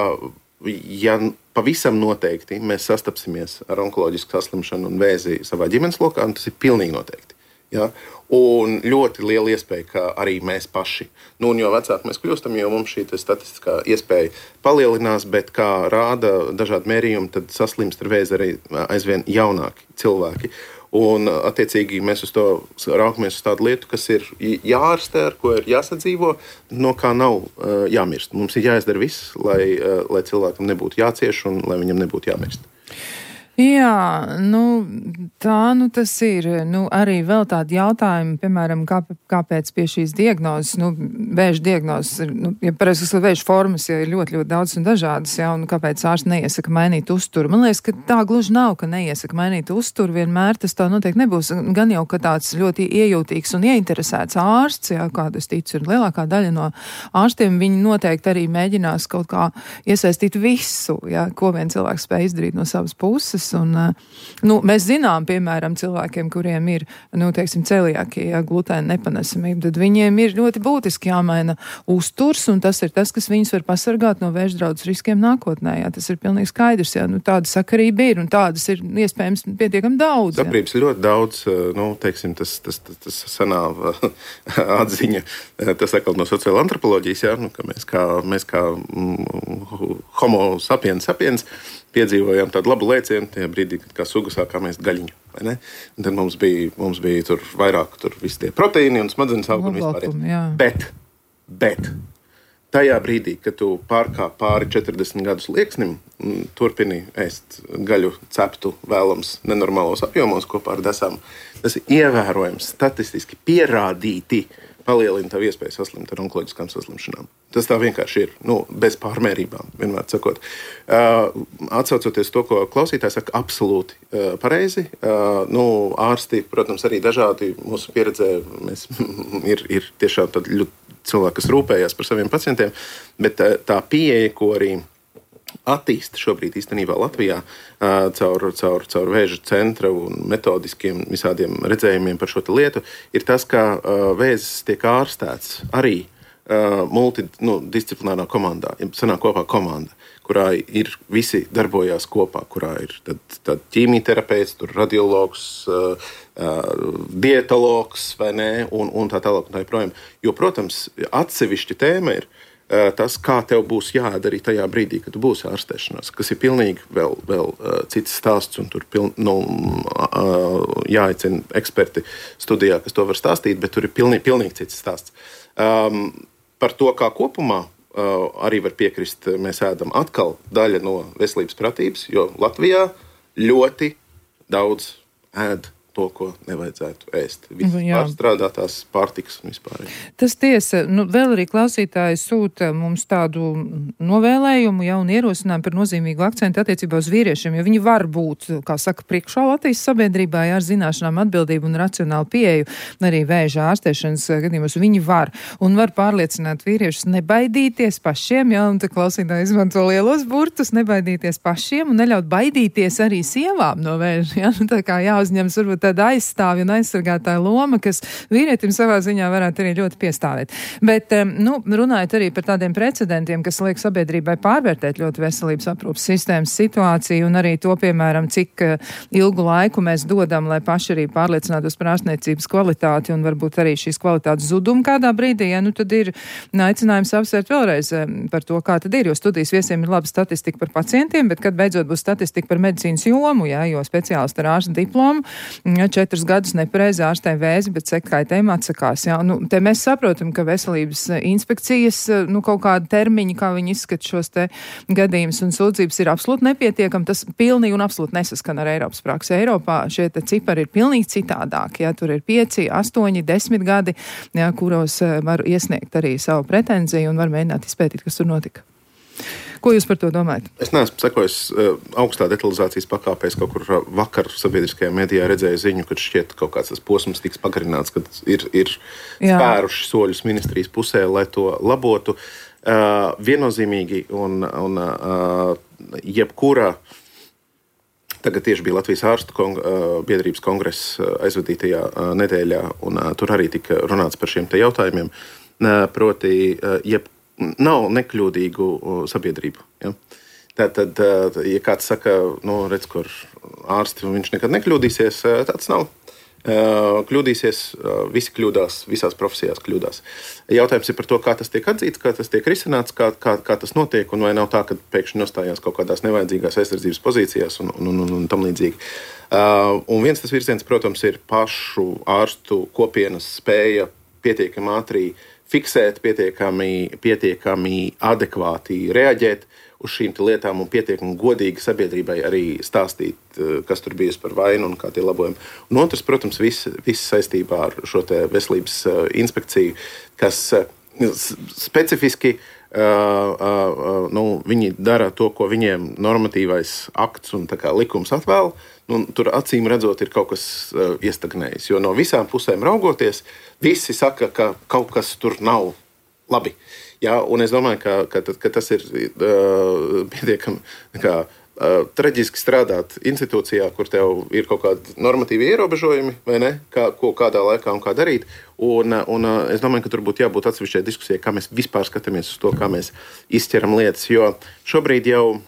ja pavisam noteikti mēs sastapsimies ar onkoloģisku saslimšanu un vēzi savā ģimenes lokā, un tas ir pilnīgi noteikti. Ja? Un ļoti liela iespēja, ka arī mēs paši. Nu, un jo vecāki mēs kļūstam, jo mums šī statistiskā iespēja palielinās, bet kā rāda dažādi mērījumi, tad saslimst ar vēzi arī aizvien jaunāki cilvēki. Un, attiecīgi, mēs uz to raukamies uz tādu lietu, kas ir jāārstē, ar ko ir jāsadzīvo, no kā nav uh, jāmirst. Mums ir jāizdara viss, lai, uh, lai cilvēkam nebūtu jācieš un lai viņam nebūtu jāmirst. Jā, nu, tā nu tas ir. Nu, arī vēl tādi jautājumi, piemēram, kā, kāpēc pie šīs diagnozes, nu, vēža diagnozes, nu, ja pareizi, ka vēža formas ja ir ļoti, ļoti daudz un dažādas, jā, un kāpēc ārsts neiesaka mainīt uzturu. Man liekas, ka tā gluži nav, ka neiesaka mainīt uzturu, vienmēr tas tā noteikti nebūs. Gan jau, ka tāds ļoti iejūtīgs un ieinteresēts ārsts, jā, kādu es ticu, ir lielākā daļa no ārstiem, viņi noteikti arī mēģinās kaut kā iesaistīt visu, jā, ko vien cilvēks spēj izdarīt no savas puses. Un, nu, mēs zinām, piemēram, cilvēkiem, kuriem ir, nu, teiksim, celiakija, glutēna nepanesamība, tad viņiem ir ļoti būtiski jāmaina uzturs, un tas ir tas, kas viņus var pasargāt no vēža draudz riskiem nākotnē. Jā, tas ir pilnīgi skaidrs, jā, nu, tāda sakarība ir, un tādas ir iespējams pietiekami daudz. Saprības ir ļoti daudz, nu, teiksim, tas, tas, tas, tas sanā atziņa, tas atkal no sociāla antropoloģijas, jā, nu, ka mēs kā, mēs kā mm, homo sapiens sapiens piedzīvojām tādu labu lēcienu tajā brīdī, kad kā suga sākām ēst gaļiņu. Vai ne? Un tad mums bija, mums bija tur vairāk tur visi tie proteīni un smadzenes auga un vispār. Bet, bet tajā brīdī, kad tu pārkāp pāri četrdesmit gadus lieksnim un turpini ēst gaļu ceptu vēlams nenormālos apjomos kopā ar desām, tas ir ievērojams statistiski pierādīti palielina tavu iespēju saslimt ar onkoloģiskām saslimšanām. Tas tā vienkārši ir, nu, bez pārmērībām, vienmēr sakot. Uh, atsaucoties to, ko klausītājs saka, absolūti uh, pareizi. Uh, nu, ārsti, protams, arī dažādi mūsu pieredzē, mēs, ir, ir tiešām tādi cilvēki, kas rūpējās par saviem pacientiem, bet uh, tā pieeja, ko arī attīsta šobrīd īstenībā Latvijā uh, caur, caur, caur vēža centra un metodiskiem visādiem redzējumiem par šo lietu, ir tas, ka uh, vēzis tiek ārstēts arī uh, multidisciplinārā komandā. Sanāk kopā komanda, kurā ir visi darbojās kopā, kurā ir tad, tad ķīmijterapeits, tur radiologs, uh, uh, dietologs vai ne, un, un tā tālāk un tā joprojām. Jo, protams, atsevišķa tēma ir tas, kā tev būs jādara arī tajā brīdī, kad tu būsi ārstēšanās, kas ir pilnīgi vēl, vēl uh, cits stāsts, un tur piln, nu, uh, jāaicina eksperti studijā, kas to var stāstīt, bet tur ir pilnīgi, pilnīgi cits stāsts. Um, par to, kā kopumā uh, arī var piekrist, mēs ēdam atkal daļa no veselības pratības, jo Latvijā ļoti daudz ēd to, ko nevajadzētu ēst. Vispār strādātās pārtikas un vispār. Tas tiesa, nu, vēl arī klausītāji sūta mums tādu novēlējumu, ja, un ierosinājumu par nozīmīgu akcentu attiecībā uz vīriešiem, jo viņi var būt, kā saka, priekšā Latvijas sabiedrībā, ja, ar zināšanām, atbildību un racionālu pieeju, arī vēža ārstēšanas gadījumos, viņi var un var pārliecināt vīriešus nebaidīties pašiem, ja, un te klausītāji izmanto lielos burtus, nebaidīties pašiem un neļaut baidīties arī sievām no vēža. Ja? Tā kā jāuzņems varbūt tāda aizstāvja un aizsargātāja loma, kas vīrietim savā ziņā varētu arī ļoti piestāvēt. Bet, nu, runājot arī par tādiem precedentiem, kas liek sabiedrībai pārvērtēt ļoti veselības aprūpas sistēmas situāciju un arī to, piemēram, cik ilgu laiku mēs dodam, lai paši arī pārliecinātos par ārstniecības kvalitāti un varbūt arī šīs kvalitātes zudumu kādā brīdī, ja, nu tad ir aicinājums apsvērt vēlreiz par to, kā tad ir, jo studijas viesiem ir laba statistika par pacientiem, bet kad beidzot būs statistika par medicīnas jomu, ja, jo speciālisti ar ārsta diplomu ja, četrus gadus nepareizi ārstē vēzi, bet sekkaitējumu atsakās. Ja. Nu, te mēs saprotam, ka veselības inspekcijas, nu, kaut kāda termiņa, kā viņi izskata šos te gadījumus un sūdzības ir absolūti nepietiekami. Tas pilnīgi un absolūti nesaskan ar Eiropas praksi. Eiropā šie te cipari ir pilnīgi citādāki. Ja. Tur ir pieci, astoņi, desmit gadi, ja, kuros var iesniegt arī savu pretenziju un var mēģināt izpētīt, kas tur notika. Ko jūs par to domājat? Es neesmu sekojis uh, augstā detalizācijas pakāpēs, kaut kur uh, vakar sabiedriskajā medijā redzēju ziņu, kad šķiet kaut kāds tas posms tiks pagarināts, kad ir, ir spēruši soļus ministrijas pusē, lai to labotu. Uh, viennozīmīgi un, un uh, jebkura, tagad tieši bija Latvijas ārstu kong, uh, biedrības kongress uh, aizvadītajā uh, nedēļā, un uh, tur arī tika runāts par šiem te jautājumiem, uh, proti uh, jebkura nav nekļūdīgu sabiedrību. Ja? Tātad, ja kāds saka, nu, redz, kur ārsti, viņš nekad nekļūdīsies, tāds nav. Kļūdīsies, visi kļūdās, visās profesijās kļūdās. Jautājums ir par to, kā tas tiek atzīts, kā tas tiek risināts, kā, kā, kā tas notiek, un vai nav tā, ka pēkšņi nostājās kaut kādās nevajadzīgās aizsardzības pozīcijās un, un, un, un tam līdzīgi. Un viens tas virziens, protams, ir pašu ārstu kopienas spēja pietiekami ātri fiksēt, pietiekami, pietiekami adekvāti reaģēt uz šīm lietām un pietiekami godīgi sabiedrībai arī stāstīt, kas tur bijusi par vainu un kā tie labojumi. Un otrs, protams, viss, viss saistībā ar šo te veselības inspekciju, kas specifiski uh, uh, nu, viņi dara to, ko viņiem normatīvais akts un tā kā likums atvēl. Nu, tur acīm redzot ir kaut kas uh, iestagnējis, jo no visām pusēm raugoties, visi saka, ka kaut kas tur nav labi. Ja, un es domāju, ka, ka, ka tas ir uh, pietiekami kā, uh, traģiski strādāt institūcijā, kur tev ir kaut kādi normatīvi ierobežojumi, vai ne, kā, ko kādā laikā un kā darīt. Un, un uh, es domāju, ka tur būtu jābūt atsevišķai diskusijai, kā mēs vispār skatāmies uz to, kā mēs izķeram lietas, jo šobrīd jau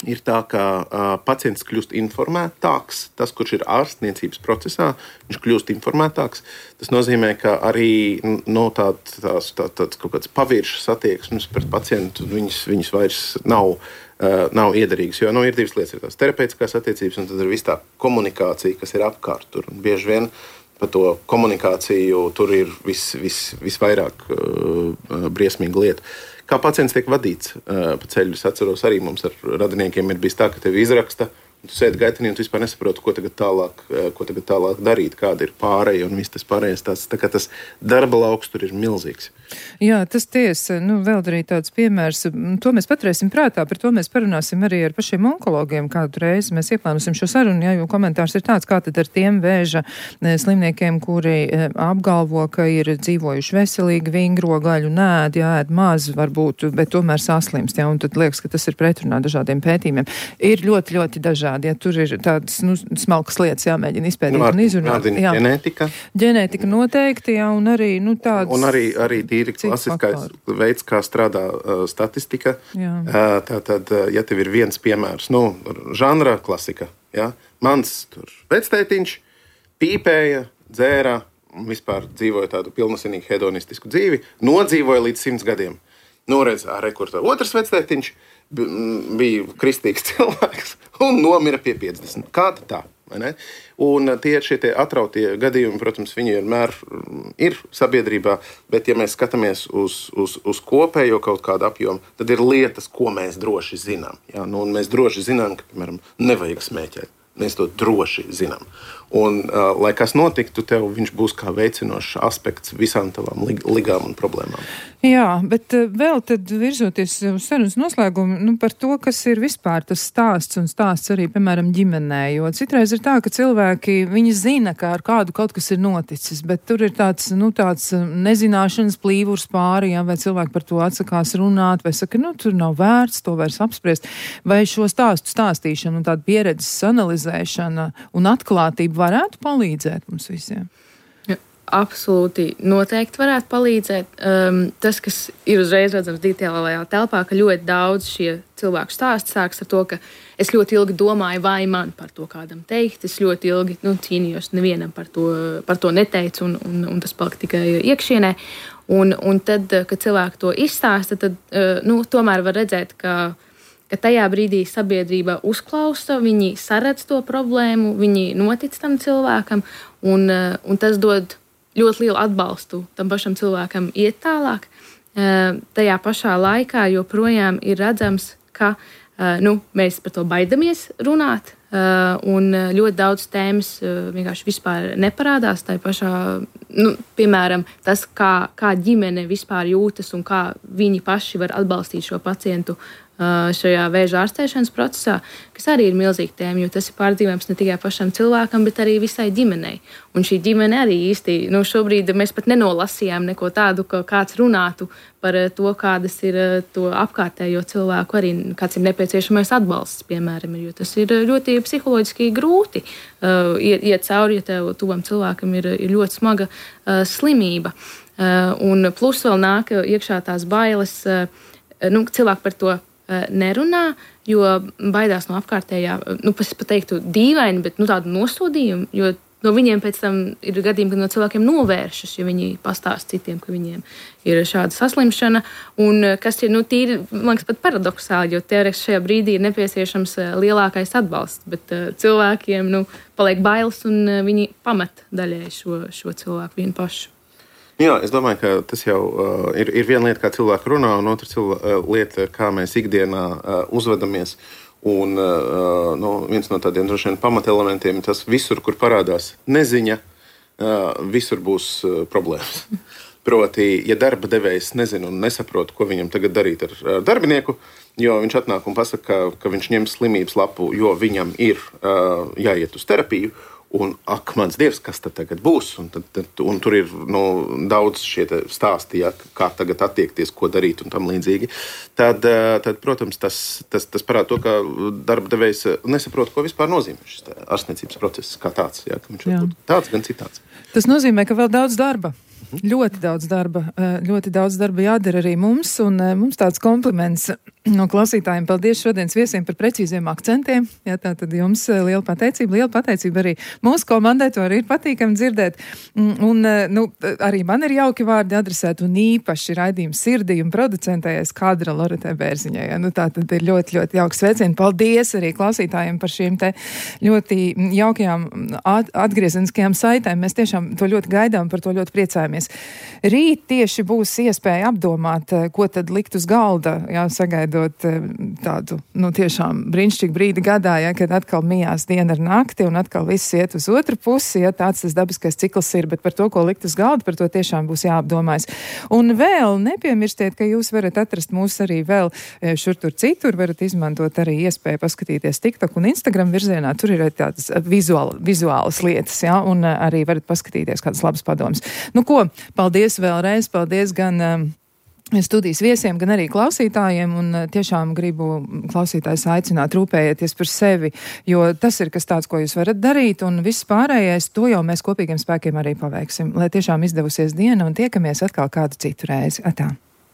ir tā, ka uh, pacients kļūst informētāks. Tas, kurš ir ārstniecības procesā, viņš kļūst informētāks. Tas nozīmē, ka arī no tā, tās, tā, tāds kaut kāds paviršas attieksmes pret pacientu, viņas, viņas vairs nav, uh, nav iederīgas. Jo nu, ir divas lietas, ir tās terapeitiskās attiecības, un tad ir viss tā komunikācija, kas ir apkārt tur. Un bieži vien par to komunikāciju tur ir vis, vis, visvairāk uh, briesmīga lieta. Kā pacients tiek vadīts uh, pa ceļu, es atceros arī mums ar radiniekiem ir bijis tā, ka tevi izraksta, un tu sēdi gaitenī un tu vispār nesaproti, ko tagad tālāk, uh, ko tagad tālāk darīt, kāda ir pārēja un viss tas pārējais. Tās, tā kā tas darba lauks tur ir milzīgs. Jā, tas tiesa, nu vēl arī tāds piemērs, to mēs paturēsim prātā, par to mēs parunāsim arī ar pašiem onkologiem kādu reizi. Mēs ieplānosim šo sarunu, jā, jo komentārs ir tāds, kā tad ar tiem vēža slimniekiem, kuri apgalvo, ka ir dzīvojuši veselīgi, vingro gaļu, nēd, jā, ēd maz varbūt, bet tomēr saslimst, jā, un tad liekas, ka tas ir pretrunā dažādiem pētījumiem. Ir ļoti, ļoti dažādi, ja tur ir tādas, nu, smalkas lietas jāmēģina izpētīt nu, un izrunāt. Jā, ģenētika. Ģenētika noteikti, jā, un arī, nu, tādas. Un arī, arī ir klasiskais veids, kā strādā uh, statistika. Uh, Tātad, uh, ja tev ir viens piemērs, nu, žanra klasika, ja? Mans tur vectētiņš pīpēja, dzēra, vispār dzīvoja tādu pilnasinīgu hedonistisku dzīvi, nodzīvoja līdz simts gadiem. Nu, redz, ārē, kur tā otrs vectētiņš bija kristīgs cilvēks un nomira pie piecdesmit. Kā tā? Un tie šie tie atrautie gadījumi, protams, viņi vienmēr ir sabiedrībā, bet ja mēs skatāmies uz, uz, uz kopējo kaut kādu apjomu, tad ir lietas, ko mēs droši zinām. Ja? Nu, un mēs droši zinām, ka, piemēram, nevajag smēķēt. Mēs to droši zinām. Un, uh, lai kas notiktu, tev viņš būs kā veicinošs aspekts visām tavām lig- ligām un problēmām. Jā, bet uh, vēl tad virzoties uz sarunas noslēgumu, nu, par to, kas ir vispār tas stāsts un stāsts arī, piemēram, ģimenē, jo citreiz ir tā, ka cilvēki, viņi zina, ka ar kādu kaut kas ir noticis, bet tur ir tāds, nu, tāds nezināšanas plīvurs pāri, ja, vai cilvēki par to atsakās runāt, vai saka, nu, tur nav vērts to vairs apspriest, vai šo stāstu stāstīšanu un tādu pieredzes analizēšana un atklātība varētu palīdzēt mums visiem? Ja, absolūti noteikti varētu palīdzēt. Um, tas, kas ir uzreiz redzams digitālajā telpā, ka ļoti daudz šie cilvēku stāsti sāks ar to, ka es ļoti ilgi domāju, vai man par to kādam teikt. Es ļoti ilgi nu, cīnījos, nevienam par to, par to neteicu, un, un, un tas palika tikai iekšienē. Un, un tad, kad cilvēki to izstāsta, tad uh, nu, tomēr var redzēt, ka ka tajā brīdī sabiedrība uzklausa, viņi saredz to problēmu, viņi notic tam cilvēkam, un, un tas dod ļoti lielu atbalstu tam pašam cilvēkam iet tālāk. Tajā pašā laikā joprojām ir redzams, ka nu, mēs par to baidamies runāt, un ļoti daudz tēmas vienkārši vispār neparādās. Tā pašā, nu, piemēram, tas, kā, kā ģimene vispār jūtas un kā viņi paši var atbalstīt šo pacientu šajā vēža ārstēšanas procesā, kas arī ir milzīga tēma, jo tas ir pārdzīvojams ne tikai pašam cilvēkam, bet arī visai ģimenei. Un šī ģimene arī īsti, nu šobrīd mēs pat nenolasījām neko tādu, ka kāds runātu par to, kādas ir to apkārtējo cilvēku arī, kāds ir nepieciešamais atbalsts, piemēram, jo tas ir ļoti psiholoģiski grūti uh, iet, iet cauri, ja tev tuvam cilvēkam ir, ir ļoti smaga uh, slimība. Uh, un plus vēl nāk iekšā tās bailes, uh, nu, cilvēki par to nerunā, jo baidās no apkārtējā, nu, es pat teiktu dīvaini, bet nu, tādu nosodījumu, jo no viņiem pēc tam ir gadījumi, kad no cilvēkiem novēršas, ja viņi pastāst citiem, ka viņiem ir šāda saslimšana, un kas ir, nu, tīri, man liekas, pat paradoksāli, jo teorētiski šajā brīdī ir nepieciešams lielākais atbalsts, bet uh, cilvēkiem, nu, paliek bailes, un uh, viņi pamet daļai šo, šo cilvēku vienu pašu. Jā, es domāju, ka tas jau uh, ir, ir viena lieta, kā cilvēki runā, un otra cilvē, uh, lieta, kā mēs ikdienā uh, uzvedamies. Un uh, nu, viens no tādiem droši vien pamatelementiem ir tas, visur, kur parādās neziņa, uh, visur būs uh, problēmas. Proti, ja darba devējs nezina un nesaprot, ko viņam tagad darīt ar uh, darbinieku, jo viņš atnāk un pasaka, ka, ka viņš ņem slimības lapu, jo viņam ir uh, jāiet uz terapiju, un, ak, mans Dievs, kas tad tagad būs? Un, tad, tad, un tur ir nu, daudz šie stāsti, ja, kā tagad attiekties, ko darīt un tam līdzīgi. Tad, tad protams, tas, tas, tas parāda to, ka darba devējs nesaprot, ko vispār nozīmē šis ārstniecības process kā tāds. Ja, ka viņš var būt tāds, gan citāds. Tas nozīmē, ka vēl daudz darba. Ļoti daudz darba, ļoti daudz darba jādara arī mums, un mums tāds kompliments no klausītājiem. Paldies šodienas viesiem par precīziem akcentiem. Jā, tā tad jums liela pateicība, liela pateicība arī mūsu komandai, to arī ir patīkami dzirdēt. Un, nu, arī man ir jauki vārdi adresēt, un īpaši raidījums sirdī un producentējies Kadra Loretai Bērziņai. Ja, nu, tā tad ir ļoti, ļoti jauks sveicieni. Paldies arī klausītājiem par šīm te ļoti jaukajām atgriezeniskajām saitēm. Mēs tiešām to ļoti gaidām, par to ļoti priecājamies. Rīt tieši būs iespēja apdomāt, ko tad likt uz galda, jā, sagaidot tādu, nu, tiešām brīnišķīgu brīdi gadā, jā, kad atkal mijās diena ar nakti un atkal viss iet uz otru pusi, ja tāds tas dabiskais cikls ir, bet par to, ko likt uz galda, par to tiešām būs jāapdomājas. Un vēl nepiemirstiet, ka jūs varat atrast mūs arī vēl šur tur citur, varat izmantot arī iespēju paskatīties TikTok un Instagram virzienā, tur ir tādas vizuāl, vizuālas lietas, jā, un arī varat paskatīties kādas labas padomas. Nu ko, paldies vēlreiz, paldies gan um, studijas viesiem, gan arī klausītājiem, un uh, tiešām gribu klausītājus aicināt rūpējieties par sevi, jo tas ir kas tāds, ko jūs varat darīt, un viss pārējais, to jau mēs kopīgiem spēkiem arī paveiksim, lai tiešām izdevusies diena, un tiekamies atkal kādu citu reizi. Atā.